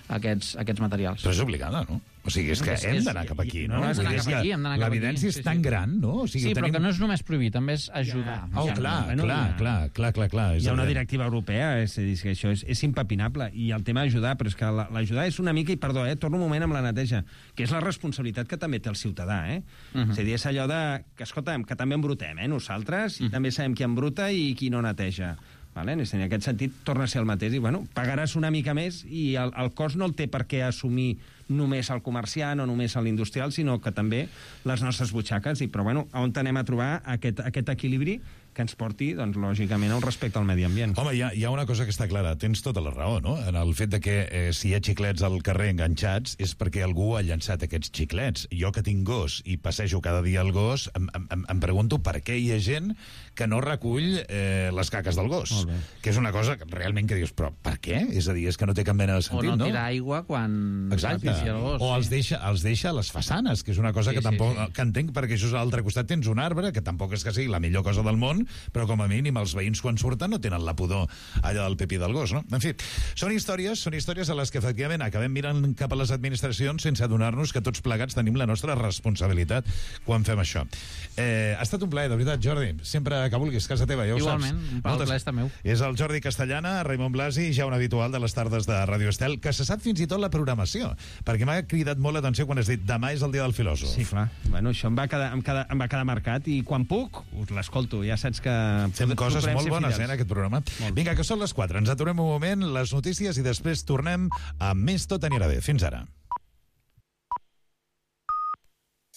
aquests, aquests materials. Però és obligada, no? O sigui, és que És- hem és- d'anar cap aquí, no, no? hem d'anar Vull dir, cap és que aquí, hem d'anar cap aquí. l'evidència és Sí, tan sí. gran, no? O sigui, Sí, però tenim... que no és només prohibir, també és ajudar. Oh, Ja, clar, Bueno, clar, ja. clar, clar, clar, clar, és Hi ha una evident. directiva europea, és a dir, que això és, és impepinable, i el tema d'ajudar, però és que la- l'ajudar és una mica, i perdó, eh, torno un moment amb la neteja, que és la responsabilitat que també té el ciutadà, eh? Uh -huh. És a dir, és allò de, que, escolta'm, que també embrutem, eh, nosaltres, i uh -huh. també sabem qui embruta i qui no neteja. Vale? En aquest sentit, torna a ser el mateix. I, bueno, pagaràs una mica més i el, el cost no el té per què assumir només el comerciant o només l'industrial, sinó que també les nostres butxaques. I, però, bueno, on anem a trobar aquest, aquest equilibri que ens porti, doncs, lògicament, al respecte al medi ambient. Home, hi ha, hi ha una cosa que està clara, tens tota la raó, no? En el fet de que eh, si hi ha xiclets al carrer enganxats és perquè algú ha llançat aquests xiclets. Jo que tinc gos i passejo cada dia el gos, em, em, em pregunto per què hi ha gent que no recull eh, les caques del gos. Que és una cosa que realment que dius, però per què? És a dir, és que no té cap mena de sentit, o no no? tirar aigua quan... Exacte. passi el gos, o sí. els deixa, els deixa a les façanes, que és una cosa Sí, que sí, tampoc sí. que entenc, perquè això és a l'altre costat tens un arbre, que tampoc és que sigui la millor cosa del món, però com a mínim els veïns quan surten no tenen la pudor allà del pipí del gos, no? En fi, són històries, són històries a les que efectivament acabem mirant cap a les administracions sense adonar-nos que tots plegats tenim la nostra responsabilitat quan fem això. Eh, ha estat un plaer, de veritat, Jordi. Sempre que vulguis, casa teva, ja ho Igualment, saps. un plaer, el plaer és meu. És el Jordi Castellana, Raimon Blasi, ja un habitual de les tardes de Ràdio Estel, que se sap fins i tot la programació, perquè m'ha cridat molt l'atenció quan has dit demà és el dia del filòsof. Sí, clar. Bueno, això em va quedar, em quedar, em va quedar marcat, i quan puc, us l'escolto. Ja saps que... Fem coses procurem molt ser bones, fidels. eh, en aquest programa. Vinga, que són les quatre. Ens aturem un moment, les notícies, i després tornem amb més Tot anirà bé. Fins ara.